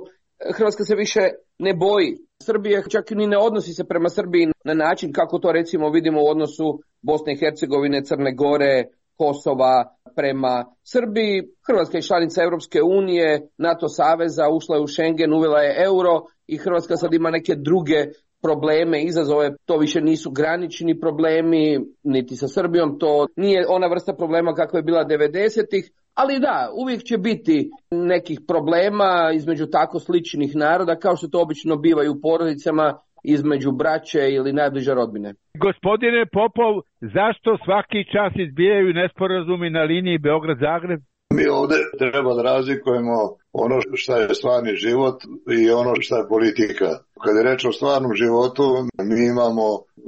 Hrvatska se više ne boji Srbije, čak ni ne odnosi se prema Srbiji na način kako to recimo vidimo u odnosu Bosne i Hercegovine, Crne Gore, Kosova prema Srbiji. Hrvatska je članica Europske unije, NATO saveza, ušla je u Schengen, uvela je euro i Hrvatska sad ima neke druge probleme, izazove. To više nisu granični problemi, niti sa Srbijom, to nije ona vrsta problema kako je bila 90-ih, ali da, uvijek će biti nekih problema između tako sličnih naroda, kao što to obično biva i u porodicama, između braće ili najbliže rodbine. Gospodine Popov, zašto svaki čas izbijaju nesporazumi na liniji Beograd-Zagreb? Mi ovdje treba da razlikujemo ono što je stvarni život i ono što je politika. Kad je reč o stvarnom životu, mi imamo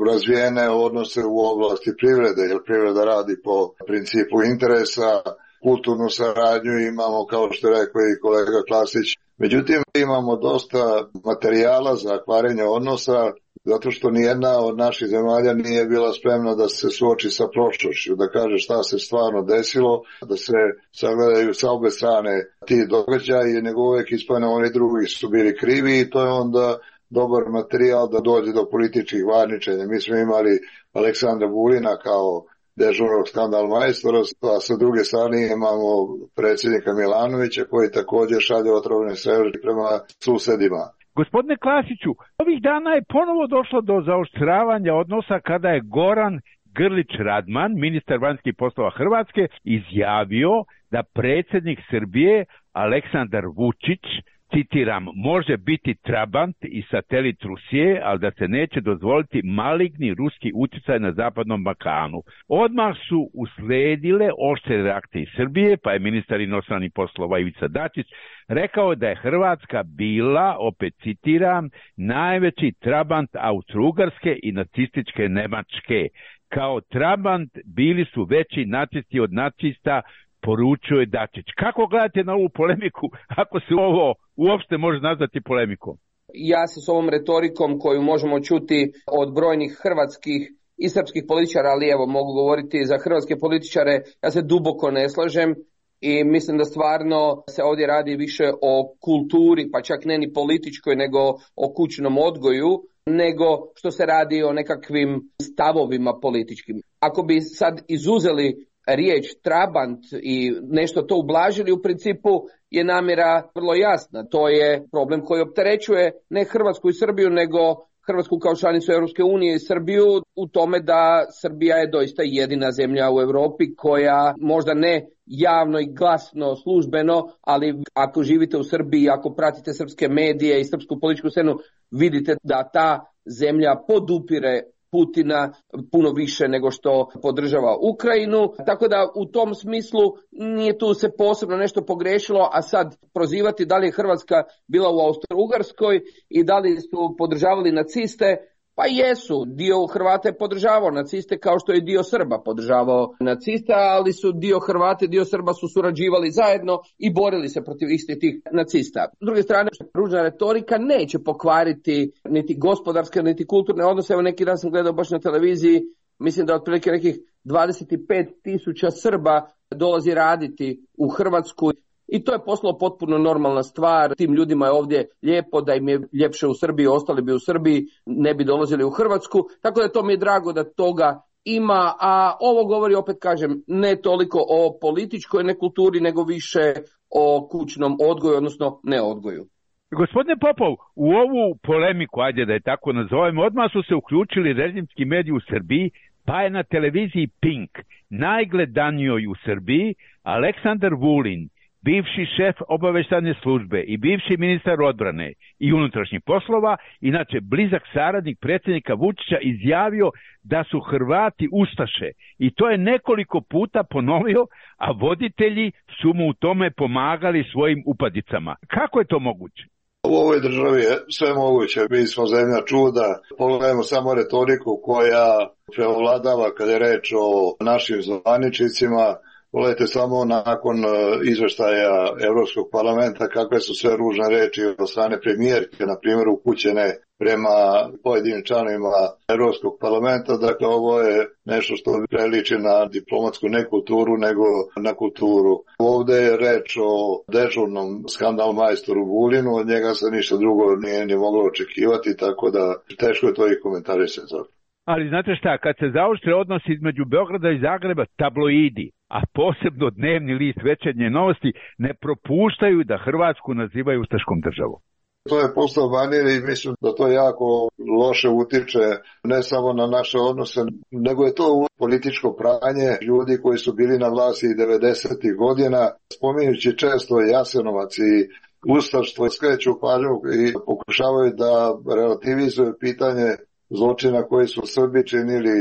razvijene odnose u oblasti privrede, jer privreda radi po principu interesa, kulturnu saradnju imamo, kao što je rekao i kolega Klasić. Međutim, imamo dosta materijala za kvarenje odnosa, zato što nijedna od naših zemalja nije bila spremna da se suoči sa prošlošću, da kaže šta se stvarno desilo, da se sagledaju sa obe strane ti događaji, nego uvijek ispadne oni drugi su bili krivi i to je onda dobar materijal da dođe do političkih varničenja. Mi smo imali Aleksandra Vulina kao dežurnog skandal majstora, a sa druge strane imamo predsjednika Milanovića koji također šalje otrovne strelke prema susedima. Gospodine Klasiću, ovih dana je ponovo došlo do zaoštravanja odnosa kada je Goran Grlić Radman, ministar vanjskih poslova Hrvatske, izjavio da predsjednik Srbije Aleksandar Vučić, citiram, može biti trabant i satelit Rusije, ali da se neće dozvoliti maligni ruski utjecaj na Zapadnom Balkanu. Odmah su usledile oštre reakcije iz Srbije, pa je ministar inostranih poslova Ivica Dačić rekao da je Hrvatska bila, opet citiram, najveći trabant Austro-Ugarske i nacističke Nemačke. Kao trabant bili su veći nacisti od nacista, poručuje Dačić. Kako gledate na ovu polemiku, ako se ovo uopšte može nazvati polemikom? Ja se s ovom retorikom koju možemo čuti od brojnih hrvatskih i srpskih političara, ali evo mogu govoriti za hrvatske političare, ja se duboko ne slažem i mislim da stvarno se ovdje radi više o kulturi, pa čak ne ni političkoj, nego o kućnom odgoju, nego što se radi o nekakvim stavovima političkim. Ako bi sad izuzeli riječ trabant i nešto to ublažili, u principu je namjera vrlo jasna. To je problem koji opterećuje ne Hrvatsku i Srbiju, nego Hrvatsku kao članicu Europske unije i Srbiju u tome da Srbija je doista jedina zemlja u Europi koja možda ne javno i glasno, službeno, ali ako živite u Srbiji, ako pratite srpske medije i srpsku političku scenu, vidite da ta zemlja podupire Putina puno više nego što podržava Ukrajinu, tako da u tom smislu nije tu se posebno nešto pogrešilo, a sad prozivati da li je Hrvatska bila u Austro-Ugarskoj i da li su podržavali naciste, pa jesu, dio Hrvata je podržavao naciste kao što je dio Srba podržavao naciste, ali su dio Hrvata i dio Srba su surađivali zajedno i borili se protiv istih tih nacista. S druge strane, ružna retorika neće pokvariti niti gospodarske, niti kulturne odnose. Evo neki dan sam gledao baš na televiziji, mislim da otprilike nekih 25.000 Srba dolazi raditi u Hrvatsku. I to je postalo potpuno normalna stvar. Tim ljudima je ovdje lijepo, da im je ljepše u Srbiji, ostali bi u Srbiji, ne bi dolazili u Hrvatsku. Tako da to mi je drago da toga ima, a ovo govori, opet kažem, ne toliko o političkoj nekulturi, nego više o kućnom odgoju, odnosno neodgoju. Gospodine Popov, u ovu polemiku, ajde da je tako nazovemo, odmah su se uključili režimski mediji u Srbiji, pa je na televiziji Pink, najgledanijoj u Srbiji, Aleksandar Vulin, bivši šef obavještajne službe i bivši ministar odbrane i unutrašnjih poslova, inače blizak saradnik predsjednika Vučića, izjavio da su Hrvati ustaše. I to je nekoliko puta ponovio, a voditelji su mu u tome pomagali svojim upadicama. Kako je to moguće? U ovoj državi je sve moguće. Mi smo zemlja čuda. Pogledajmo samo retoriku koja preovladava kada je reč o našim zvaničnicima. Pogledajte samo nakon izveštaja Europskog parlamenta kakve su sve ružne reči od strane premijerke, na primjer, upućene prema pojedinim članovima Europskog parlamenta. Dakle, ovo je nešto što priliči na diplomatsku nekulturu nego na kulturu. Ovdje je reč o dežurnom skandal majstoru Vulinu, od njega se ništa drugo nije ni moglo očekivati, tako da teško je to i komentarisati. Ali znate šta, kad se zaoštre odnosi između Beograda i Zagreba, tabloidi, a posebno dnevni list Večernje novosti, ne propuštaju da Hrvatsku nazivaju ustaškom državom. To je postao manir i mislim da to jako loše utiče ne samo na naše odnose, nego je to političko pranje ljudi koji su bili na vlasti 90. godina, spominjući često Jasenovac i ustaštvo, skreću pažnju i pokušavaju da relativizuju pitanje zločina koji su Srbi činili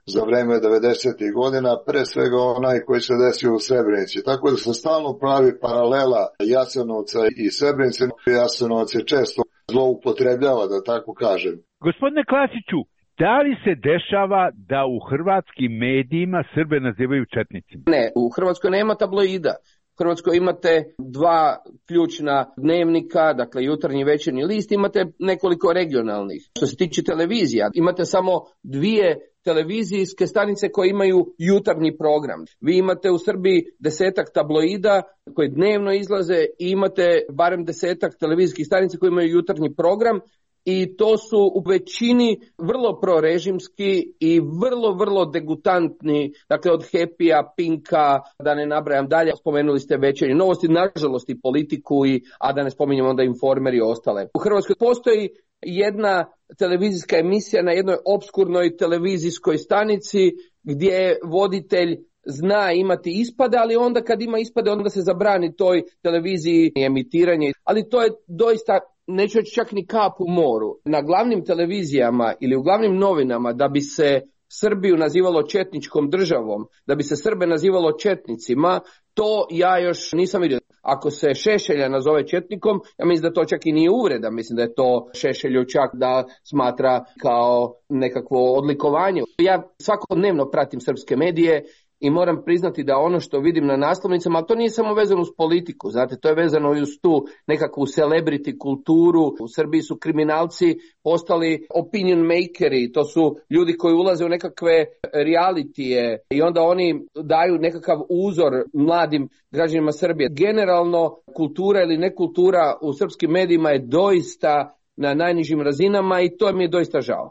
za vreme 90. godina, pre svega onaj koji se desio u Srebrenici. Tako da se stalno pravi paralela Jasenovca i Srebrenice. Jasenovac je često zloupotrebljava, da tako kažem. Gospodine Klasiću, da li se dešava da u hrvatskim medijima Srbe nazivaju četnicima? Ne, u Hrvatskoj nema tabloida. U Hrvatskoj imate dva ključna dnevnika, dakle jutarnji i večernji list, imate nekoliko regionalnih. Što se tiče televizija, imate samo dvije televizijske stanice koje imaju jutarnji program. Vi imate u Srbiji 10-ak tabloida koji dnevno izlaze i imate barem 10-ak televizijskih stanica koji imaju jutarnji program. I to su u većini vrlo prorežimski i vrlo degutantni, dakle od Happy-a, Pinka, da ne nabrajam dalje, spomenuli ste Večernje novosti, nažalost i Politiku, a da ne spominjem onda Informer i ostale. U Hrvatskoj postoji jedna televizijska emisija na jednoj opskurnoj televizijskoj stanici gdje voditelj zna imati ispade, ali onda kad ima ispade onda se zabrani toj televiziji emitiranje. Ali to je doista, neću reći čak ni kap u moru. Na glavnim televizijama ili u glavnim novinama da bi se Srbiju nazivalo četničkom državom, da bi se Srbe nazivalo četnicima, to ja još nisam vidio. Ako se Šešelja nazove četnikom, ja mislim da to čak i nije uvreda, mislim da je to Šešelju čak da smatra kao nekakvo odlikovanje. Ja svakodnevno pratim srpske medije i moram priznati da ono što vidim na naslovnicama, ali to nije samo vezano uz politiku, znate, to je vezano i uz tu nekakvu celebrity kulturu. U Srbiji su kriminalci postali opinion makeri, to su ljudi koji ulaze u nekakve realitije i onda oni daju nekakav uzor mladim građanima Srbije. Generalno, kultura ili nekultura u srpskim medijima je doista na najnižim razinama i to mi je doista žao.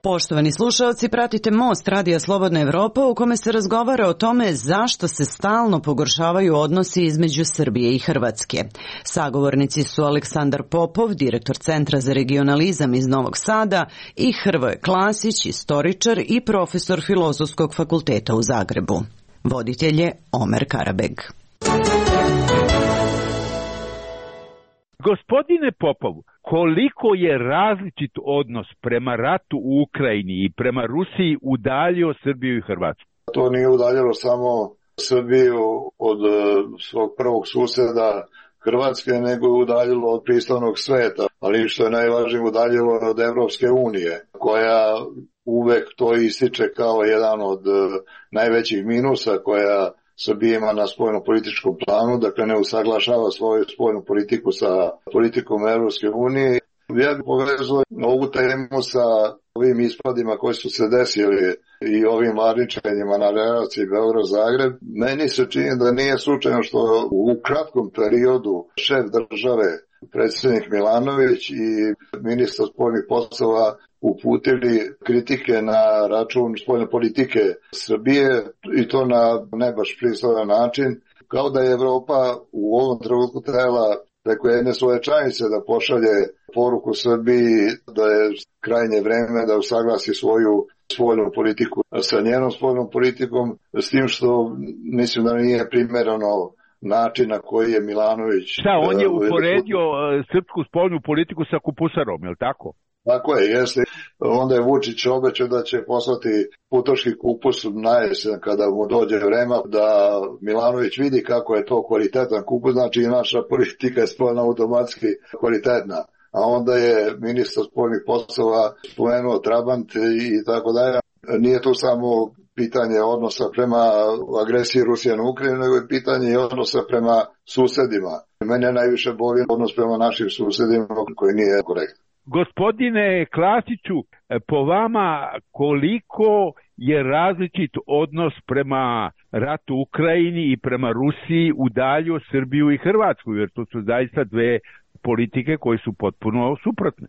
Poštovani slušaoci, pratite Most Radija Slobodna Evropa u kome se razgovara o tome zašto se stalno pogoršavaju odnosi između Srbije i Hrvatske. Sagovornici su Aleksandar Popov, direktor Centra za regionalizam iz Novog Sada, i Hrvoje Klasić, istoričar i profesor Filozofskog fakulteta u Zagrebu. Voditelj je Omer Karabeg. Gospodine Popov, koliko je različit odnos prema ratu u Ukrajini i prema Rusiji udaljio Srbiju i Hrvatsku? To nije udaljilo samo Srbiju od svog prvog suseda Hrvatske, nego je udaljilo od pristojnog sveta, ali što je najvažnije udaljilo od Evropske unije, koja uvek to ističe kao jedan od najvećih minusa koja Srbija ima na spoljno-političkom planu, dakle ne usaglašava svoju spoljnu politiku sa politikom Evropske unije. Ja bih povezao ovu temu sa ovim ispadima koji su se desili i ovim varničenjima na relaciji Beograd-Zagreb. Meni se čini da nije slučajno što u kratkom periodu šef države, predsjednik Milanović i ministar spoljnih poslova uputili kritike na račun spoljne politike Srbije i to na ne baš pristojan način, kao da je Evropa u ovom trenutku trebala preko jedne svoje članice da pošalje poruku Srbiji da je krajnje vreme da usaglasi svoju spoljnu politiku sa njenom spoljnom politikom, s tim što mislim da nije primereno način na koji je Milanović... Šta, on je uporedio srpsku spoljnu politiku sa kupusarom, je li tako? Tako je, jeste. Onda je Vučić obećao da će poslati putoški kupus na jesen kada mu dođe vreme, da Milanović vidi kako je to kvalitetan kupus, znači i naša politika je spoljna automatski kvalitetna. A onda je ministar spoljnih poslova spomenuo Trabant i tako dalje. Nije to samo pitanje odnosa prema agresiji Rusije na Ukrajinu, nego je pitanje i odnosa prema susedima. Mene najviše boli odnos prema našim susedima koji nije korektan. Gospodine Klasiću, po vama koliko je različit odnos prema ratu u Ukrajini i prema Rusiji udaljio Srbiju i Hrvatsku, jer to su zaista dve politike koje su potpuno suprotne?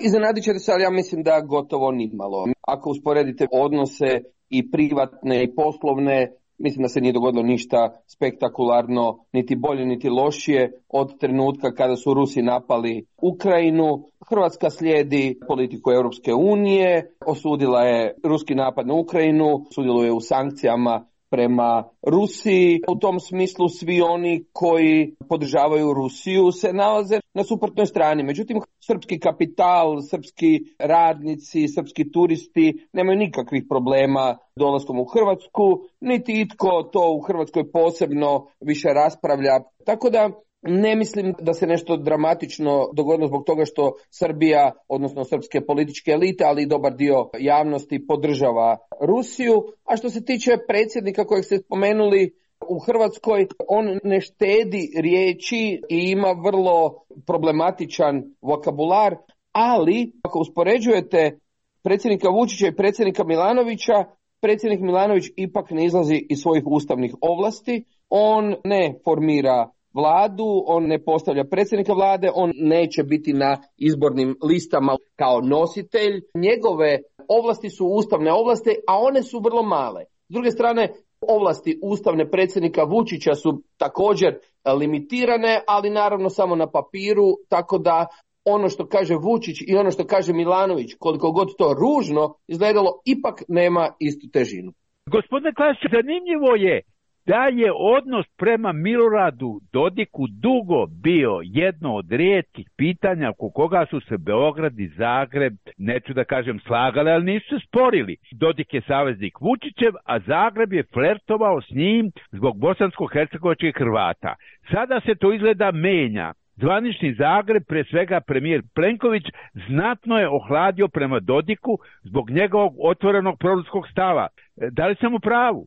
Iznenadit ćete se, ali ja mislim da gotovo nimalo. Ako usporedite odnose i privatne i poslovne, mislim da se nije dogodilo ništa spektakularno, niti bolje, niti lošije od trenutka kada su Rusi napali Ukrajinu. Hrvatska slijedi politiku Europske unije, osudila je ruski napad na Ukrajinu, sudjeluje u sankcijama prema Rusiji. U tom smislu svi oni koji podržavaju Rusiju se nalaze na suprotnoj strani. Međutim, srpski kapital, srpski radnici, srpski turisti nemaju nikakvih problema dolaskom u Hrvatsku, niti itko to u Hrvatskoj posebno više raspravlja. Tako da ne mislim da se nešto dramatično dogodilo zbog toga što Srbija, odnosno srpske političke elite, ali i dobar dio javnosti podržava Rusiju. A što se tiče predsjednika kojeg ste spomenuli u Hrvatskoj, on ne štedi riječi i ima vrlo problematičan vokabular, ali ako uspoređujete predsjednika Vučića i predsjednika Milanovića, predsjednik Milanović ipak ne izlazi iz svojih ustavnih ovlasti, on ne formira vladu, on ne postavlja predsjednika vlade, on neće biti na izbornim listama kao nositelj. Njegove ovlasti su ustavne ovlasti, a one su vrlo male. S druge strane, ovlasti ustavne predsjednika Vučića su također limitirane, ali naravno samo na papiru, tako da ono što kaže Vučić i ono što kaže Milanović, koliko god to ružno izgledalo, ipak nema istu težinu. Gospodine Klasić, zanimljivo je da je odnos prema Miloradu Dodiku dugo bio jedno od rijetkih pitanja oko koga su se Beograd i Zagreb, neću da kažem slagali, ali nisu se sporili. Dodik je saveznik Vučićev, a Zagreb je flertovao s njim zbog bosansko-hercegovačkih Hrvata. Sada se to izgleda menja. Zvanični Zagreb, pre svega premijer Plenković, znatno je ohladio prema Dodiku zbog njegovog otvorenog proruskog stava. Da li sam u pravu?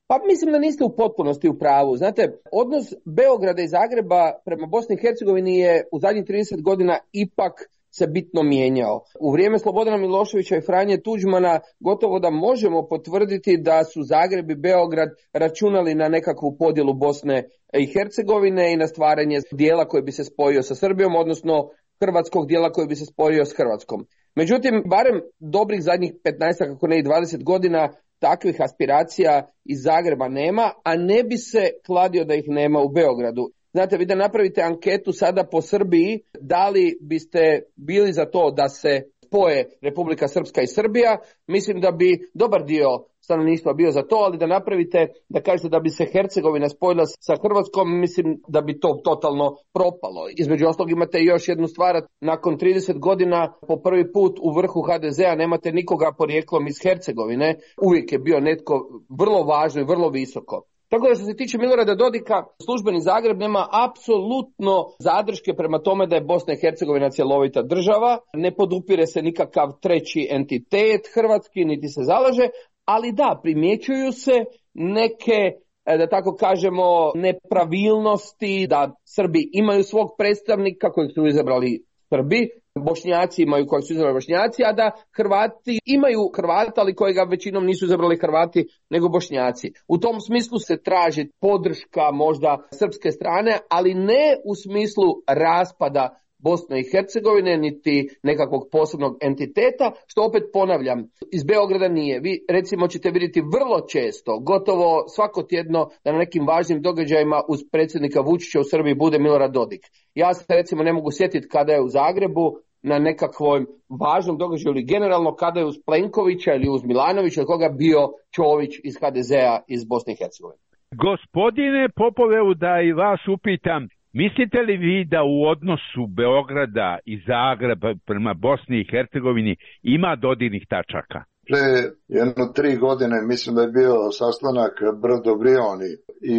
Pa mislim da niste u potpunosti u pravu. Znate, odnos Beograda i Zagreba prema Bosni i Hercegovini je u zadnjih 30 godina ipak se bitno mijenjao. U vrijeme Slobodana Miloševića i Franje Tuđmana gotovo da možemo potvrditi da su Zagreb i Beograd računali na nekakvu podjelu Bosne i Hercegovine i na stvaranje dijela koji bi se spojio sa Srbijom, odnosno hrvatskog dijela koji bi se spojio s Hrvatskom. Međutim, barem dobrih zadnjih 15, kako ne i 20 godina, takvih aspiracija iz Zagreba nema, a ne bi se kladio da ih nema u Beogradu. Znate, vi da napravite anketu sada po Srbiji, da li biste bili za to da se spoje Republika Srpska i Srbija, mislim da bi dobar dio stanovništva bio za to, ali da napravite, da kažete da bi se Hercegovina spojila sa Hrvatskom, mislim da bi to totalno propalo. Između ostalog imate još jednu stvar, nakon 30 godina po prvi put u vrhu HDZ-a nemate nikoga porijeklom iz Hercegovine, uvijek je bio netko vrlo važno i vrlo visoko. Tako da što se tiče Milorada Dodika, službeni Zagreb nema apsolutno zadrške prema tome da je Bosna i Hercegovina cjelovita država, ne podupire se nikakav treći entitet hrvatski, niti se zalaže, ali da, primjećuju se neke, da tako kažemo, nepravilnosti, da Srbi imaju svog predstavnika kojeg su izabrali Srbi, Bošnjaci imaju kojeg su izabrali Bošnjaci, a da Hrvati imaju Hrvata, ali kojega većinom nisu izabrali Hrvati nego Bošnjaci. U tom smislu se traži podrška možda srpske strane, ali ne u smislu raspada Bosne i Hercegovine, niti nekakvog posebnog entiteta, što opet ponavljam, iz Beograda nije. Vi recimo ćete vidjeti vrlo često, gotovo svako tjedno, da na nekim važnim događajima uz predsjednika Vučića u Srbiji bude Milorad Dodik. Ja se recimo ne mogu sjetiti kada je u Zagrebu na nekakvom važnom događaju ili generalno kada je uz Plenkovića ili uz Milanovića ili koga bio Čović iz HDZ-a iz Bosne i Hercegovine. Gospodine Popovevu, da i vas upitam, mislite li vi da u odnosu Beograda i Zagreba prema Bosni i Hercegovini ima dodirnih tačaka? Pre 3 godine mislim da je bio sastanak Brdo-Brioni i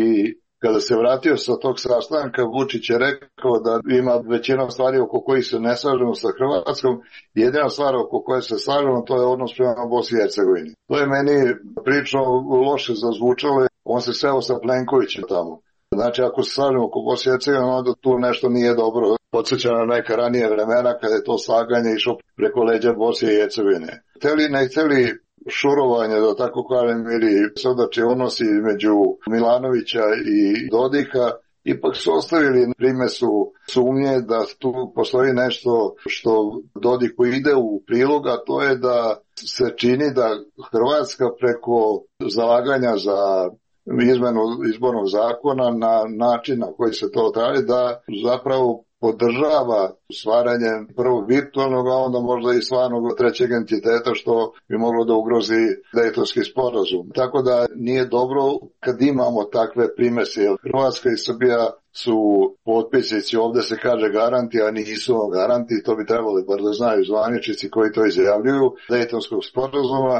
kada se vratio sa tog sastanka, Vučić je rekao da ima većina stvari oko kojih se ne slažemo sa Hrvatskom. Jedina stvar oko koje se slažemo, to je odnos prema Bosni i Hercegovini. To je meni prilično loše zazvučalo. On se seo sa Plenkovićem tamo. Znači, ako se slažemo oko Bosne i Hercegovine, onda tu nešto nije dobro. Podsjeća na neka ranije vremena kada je to slaganje išlo preko leđa Bosne i Hercegovine. Hteli ne hteli šurovanje, da tako kažem, ili sodači odnosi između Milanovića i Dodika, ipak su ostavili primesu sumnje da tu postoji nešto što Dodiku ide u prilog, a to je da se čini da Hrvatska preko zalaganja za izmenu izbornog zakona na način na koji se to traži, da zapravo podržava stvaranje prvog virtualnog, a onda možda i stvarnog trećeg entiteta, što bi moglo da ugrozi Dejtonski sporazum. Tako da nije dobro kad imamo takve primese, jer Hrvatska i Srbija su potpisnici, ovdje se kaže garanti, a nisu garanti, to bi trebali bar da znaju zvaničnici koji to izjavljuju, Dejtonskog sporazuma.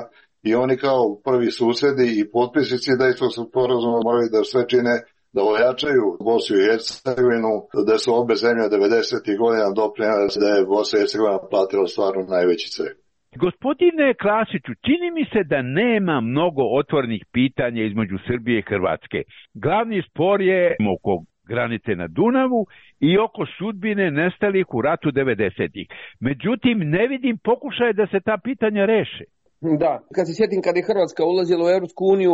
I oni kao prvi susjedi i potpisnici Dejtonskog sporazuma moraju da sve čine da ojačaju Bosnu i Hercegovinu, da su obe zemlje 90. godina doprinijele da je Bosna i Hercegovina platila stvarno najveći ceh. Gospodine Klasiću, čini mi se da nema mnogo otvornih pitanja između Srbije i Hrvatske. Glavni spor je oko granice na Dunavu i oko sudbine nestalih u ratu 90-ih. Međutim, ne vidim pokušaje da se ta pitanja reše. Da, kad se sjetim kad je Hrvatska ulazila u Europsku uniju,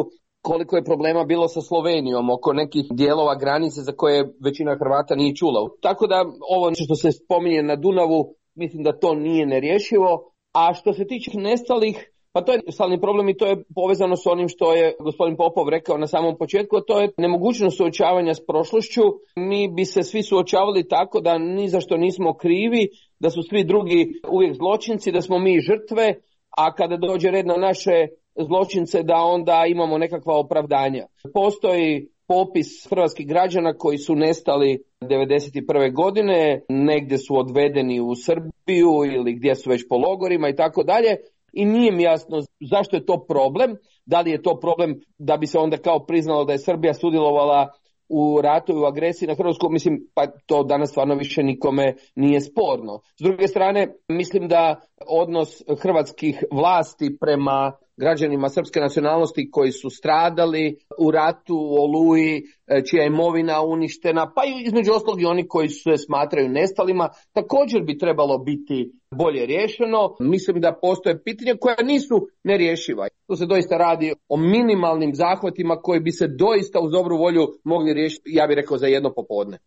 koliko je problema bilo sa Slovenijom oko nekih dijelova granice za koje većina Hrvata nije čula. Tako da ovo što se spominje na Dunavu, mislim da to nije nerješivo. A što se tiče nestalih, Pa to je stalni problem i to je povezano s onim što je gospodin Popov rekao na samom početku, a to je nemogućnost suočavanja s prošlošću. Mi bi se svi suočavali tako da ni za što nismo krivi, da su svi drugi uvijek zločinci, da smo mi žrtve, a kada dođe red na naše zločince da onda imamo nekakva opravdanja. Postoji popis hrvatskih građana koji su nestali 1991. godine, negdje su odvedeni u Srbiju ili gdje su već po logorima i tako dalje. I nije mi jasno zašto je to problem, da li je to problem da bi se onda kao priznalo da je Srbija sudjelovala u ratu i u agresiji na Hrvatsku, mislim, pa to danas stvarno više nikome nije sporno. S druge strane, mislim da odnos hrvatskih vlasti prema građanima srpske nacionalnosti koji su stradali u ratu, u Oluji, čija je imovina uništena, pa i između ostalog i oni koji se smatraju nestalima, također bi trebalo biti bolje riješeno. Mislim da postoje pitanja koja nisu nerješiva. Tu se doista radi o minimalnim zahvatima koji bi se doista uz dobru volju mogli riješiti, ja bih rekao, za jedno popodne.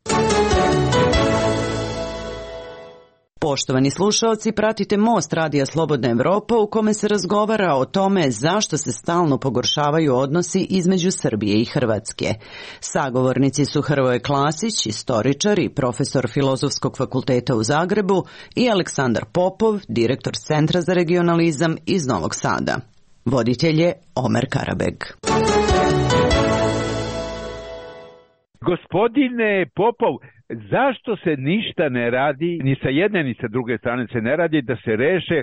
Poštovani slušaoci, pratite Most Radija Slobodna Evropa u kome se razgovara o tome zašto se stalno pogoršavaju odnosi između Srbije i Hrvatske. Sagovornici su Hrvoje Klasić, istoričar i profesor Filozofskog fakulteta u Zagrebu, i Aleksandar Popov, direktor Centra za regionalizam iz Novog Sada. Voditelj je Omer Karabeg. Gospodine Popov, zašto se ništa ne radi, ni sa jedne ni sa druge strane se ne radi da se reše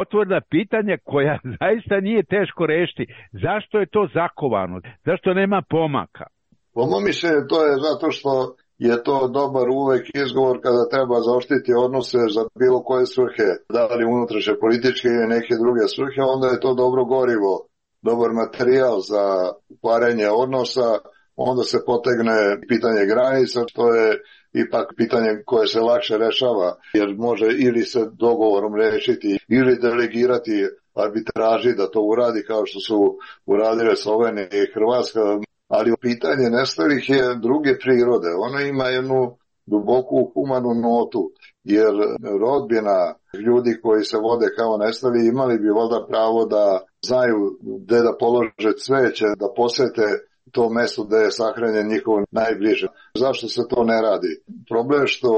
otvorena pitanja koja zaista nije teško rešiti? Zašto je to zakovano? Zašto nema pomaka? Po mom mišljenju to je zato što je to dobar uvek izgovor kada treba zaoštriti odnose za bilo koje svrhe, da li unutrašnje političke ili neke druge svrhe, onda je to dobro gorivo, dobar materijal za kvarenje odnosa. Onda se potegne pitanje granica, što je ipak pitanje koje se lakše rešava, jer može ili se dogovorom rešiti ili delegirati arbitraži da to uradi kao što su uradile Slovenija i Hrvatska, ali pitanje nestalih je druge prirode. Ono ima jednu duboku humanu notu, jer rodbina ljudi koji se vode kao nestali imali bi valjda pravo da znaju gde da polože cveće, da posete to mesto gde je sahranjen njihov najbliže. Zašto se to ne radi? Problem je što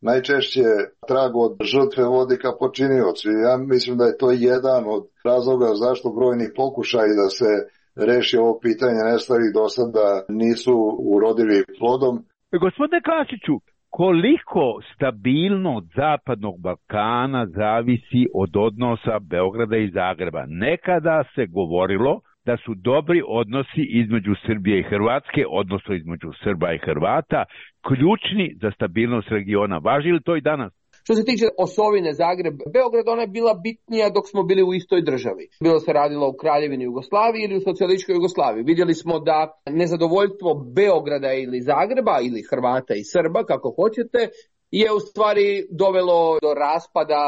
najčešće trag od žrtve vodi ka počiniocu. Ja mislim da je to jedan od razloga zašto brojni pokušaji da se reši ovo pitanje nestalih do sada nisu urodili plodom. Gospodine Klasiću, koliko stabilnost Zapadnog Balkana zavisi od odnosa Beograda i Zagreba? Nekada se govorilo da su dobri odnosi između Srbije i Hrvatske, odnosno između Srba i Hrvata, ključni za stabilnost regiona. Važi li to i danas? Što se tiče osovine Zagreb-Beograd, ona je bila bitnija dok smo bili u istoj državi. Bilo se radilo u Kraljevini Jugoslaviji ili u socijalističkoj Jugoslaviji. Vidjeli smo da nezadovoljstvo Beograda ili Zagreba ili Hrvata i Srba, kako hoćete, je u stvari dovelo do raspada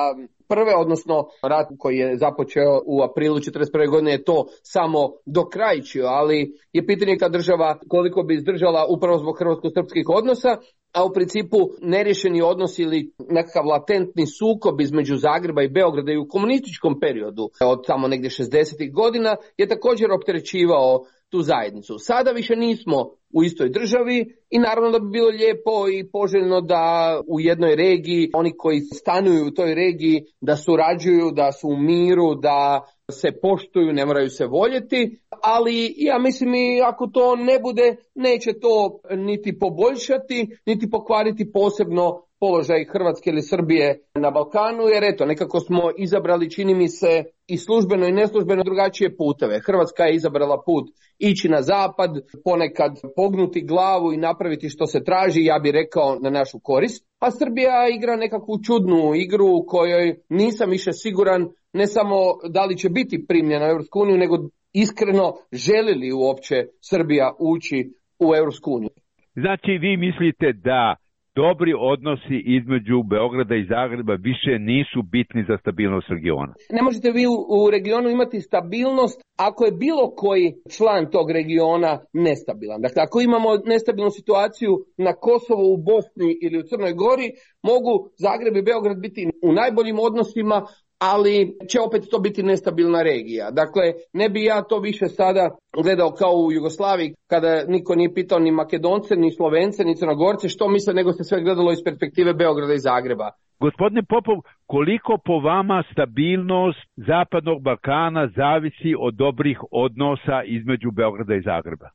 prve, odnosno rat koji je započeo u aprilu 1941. godine je to samo dokrajčio, ali je pitanje kad država koliko bi izdržala upravo zbog hrvatsko-srpskih odnosa, a u principu neriješeni odnos ili nekakav latentni sukob između Zagreba i Beograda i u komunističkom periodu od tamo negdje 60. godina je također opterećivao tu zajednicu. Sada više nismo u istoj državi i naravno da bi bilo lijepo i poželjno da u jednoj regiji oni koji stanuju u toj regiji da surađuju, da su u miru, da se poštuju, ne moraju se voljeti, ali ja mislim i ako to ne bude, neće to niti poboljšati, niti pokvariti posebno položaj Hrvatske ili Srbije na Balkanu, jer eto, nekako smo izabrali, čini mi se, i službeno i neslužbeno drugačije puteve. Hrvatska je izabrala put ići na zapad, ponekad pognuti glavu i napraviti što se traži, ja bih rekao na našu korist, a Srbija igra nekakvu čudnu igru u kojoj nisam više siguran ne samo da li će biti primljena u Europsku uniju, nego iskreno želi li uopće Srbija ući u Europsku uniju. Znači vi mislite da dobri odnosi između Beograda i Zagreba više nisu bitni za stabilnost regiona? Ne možete vi u regionu imati stabilnost ako je bilo koji član tog regiona nestabilan. Dakle, ako imamo nestabilnu situaciju na Kosovu, u Bosni ili u Crnoj Gori, mogu Zagreb i Beograd biti u najboljim odnosima, ali će opet to biti nestabilna regija. Dakle, ne bi ja to više sada gledao kao u Jugoslaviji, kada niko nije pitao ni Makedonce, ni Slovence, ni Crnogorce što misle, nego se sve gledalo iz perspektive Beograda i Zagreba. Gospodine Popov, koliko po vama stabilnost Zapadnog Balkana zavisi od dobrih odnosa između Beograda i Zagreba?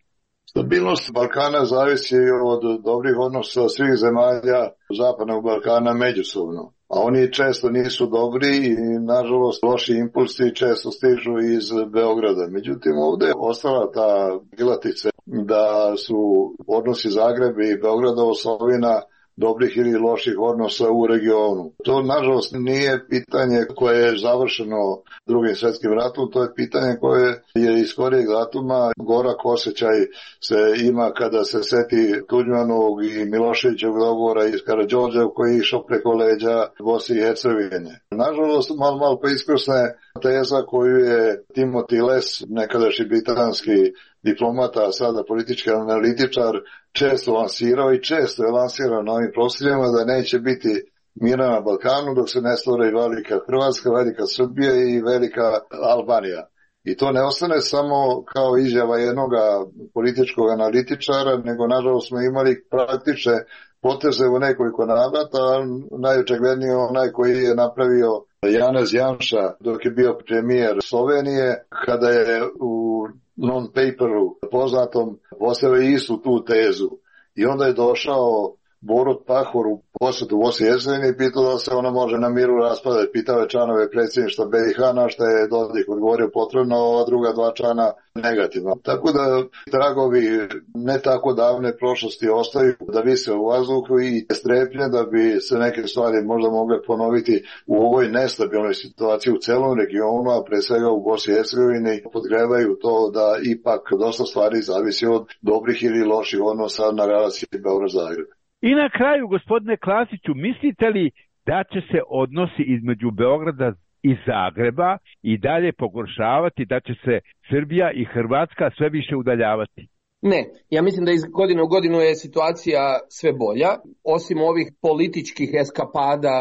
Stabilnost Balkana zavisi od dobrih odnosa svih zemalja Zapadnog Balkana međusobno. A oni često nisu dobri i, nažalost, loši impulsi često stižu iz Beograda. Međutim, ovdje je ostala ta krilatica da su odnosi Zagreba i Beograda osovina dobrih ili loših odnosa u regionu. To, nažalost, nije pitanje koje je završeno Drugim svjetskim ratom, to je pitanje koje je iz skorijeg datuma. Gorak osjećaj se ima kada se seti Tuđmanovog i Miloševićevog dogovora iz Karađorđa koji je išao preko leđa Bosne i Hercegovine. Nažalost, malo iskrsne teza koju je Timothy Les, nekadašnji britanski diplomata, a sada politički analitičar, često lansirao i često je lansirao na ovim prostorima da neće biti mira na Balkanu dok se ne stvori velika Hrvatska, velika Srbija i velika Albanija. I to ne ostane samo kao izjava jednog političkog analitičara, nego nažalost smo imali praktične poteze u nekoliko navrata, najočiglednije onaj koji je napravio Janez Janša dok je bio premijer Slovenije, kada je u non-paperu poznatom postavio istu tu tezu. I onda je došao Borut Pahor u posjetu Bosni i Hercegovini i pitao da se ona može na miru raspadati. Pitao je članove predsjedništva BiH, na što je Dodik odgovorio potrebno, ova druga dva člana negativno. Tako da tragovi ne tako davne prošlosti ostaju da vise u vazduhu i strepnje da bi se neke stvari možda mogle ponoviti u ovoj nestabilnoj situaciji u celom regionu, a pre svega u Bosni i Hercegovini podgrevaju to da ipak dosta stvari zavisi od dobrih ili loših odnosa na relaciji Beograd-Zagreb. I na kraju, gospodine Klasiću, mislite li da će se odnosi između Beograda i Zagreba i dalje pogoršavati, da će se Srbija i Hrvatska sve više udaljavati? Ne, ja mislim da iz godine u godinu je situacija sve bolja. Osim ovih političkih eskapada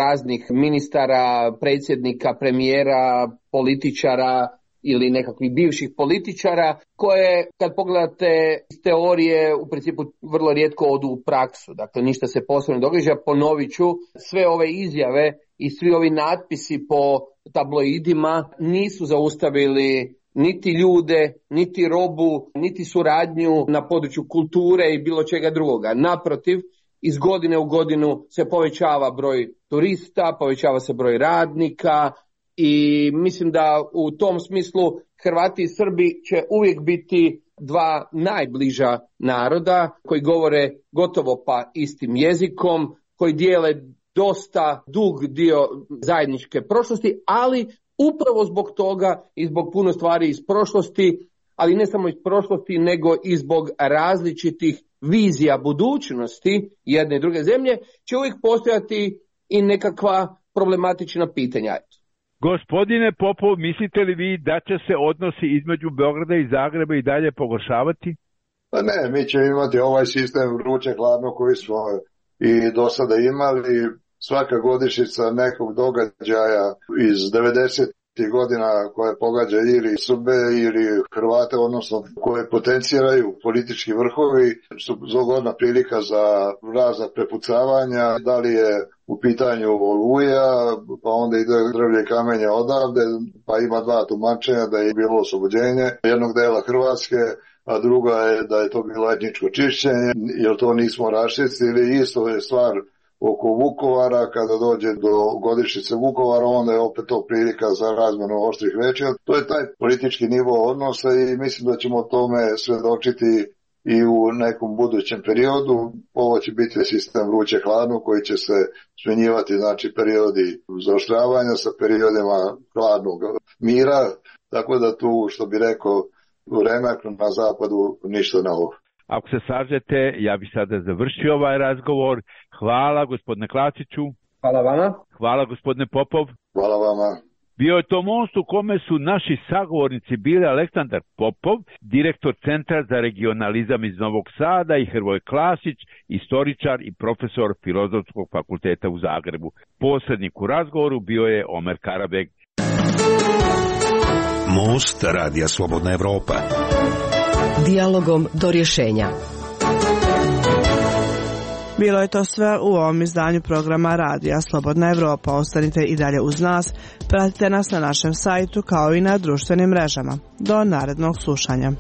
raznih ministara, predsjednika, premijera, političara ili nekakvih bivših političara, koje kad pogledate iz teorije u principu vrlo rijetko odu u praksu. Dakle, ništa se posebno događa. Ponovit ću, sve ove izjave i svi ovi natpisi po tabloidima nisu zaustavili niti ljude, niti robu, niti suradnju na području kulture i bilo čega drugoga. Naprotiv, iz godine u godinu se povećava broj turista, povećava se broj radnika, i mislim da u tom smislu Hrvati i Srbi će uvijek biti dva najbliža naroda koji govore gotovo pa istim jezikom, koji dijele dosta dug dio zajedničke prošlosti, ali upravo zbog toga i zbog puno stvari iz prošlosti, ali ne samo iz prošlosti, nego i zbog različitih vizija budućnosti jedne i druge zemlje, će uvijek postojati i nekakva problematična pitanja. Gospodine Popov, mislite li vi da će se odnosi između Beograda i Zagreba i dalje pogoršavati? Pa ne, mi ćemo imati ovaj sistem vruće hladno koji smo i do sada imali. Svaka godišnjica nekog događaja iz 90. godina koje pogađa ili Srbe ili Hrvate, odnosno koje potenciraju politički vrhovi, su zgodna prilika za razna prepucavanja, da li je u pitanju Oluja, pa onda ide drvlje kamenje odavde, pa ima dva tumačenja da je bilo oslobođenje jednog dela Hrvatske, a druga je da je to bilo etničko čišćenje, jer to nismo raščistili. Isto je stvar oko Vukovara, kada dođe do godišnjice Vukovara, onda je opet to prilika za razmjenu oštrih reči. To je taj politički nivo odnosa i mislim da ćemo tome svedočiti i u nekom budućem periodu. Ovo će biti sistem vruće hladno koji će se smjenjivati, znači periodi zaoštravanja sa periodima hladnog mira, tako da tu, što bi rekao, vreme na zapadu ništa novo. Ako se slažete, ja bih sada završio ovaj razgovor. Hvala gospodine Klasiću. Hvala vama. Hvala gospodine Popov. Hvala vama. Bio je to most u kome su naši sagovornici bili Aleksandar Popov, direktor Centra za regionalizam iz Novog Sada, i Hrvoje Klasić, istoričar i profesor Filozofskog fakulteta u Zagrebu. Posrednik u razgovoru bio je Omer Karabeg. Most Radija Slobodna Evropa. Dijalogom do rješenja. Bilo je to sve u ovom izdanju programa Radija Slobodna Evropa. Ostanite i dalje uz nas, pratite nas na našem sajtu kao i na društvenim mrežama. Do narednog slušanja.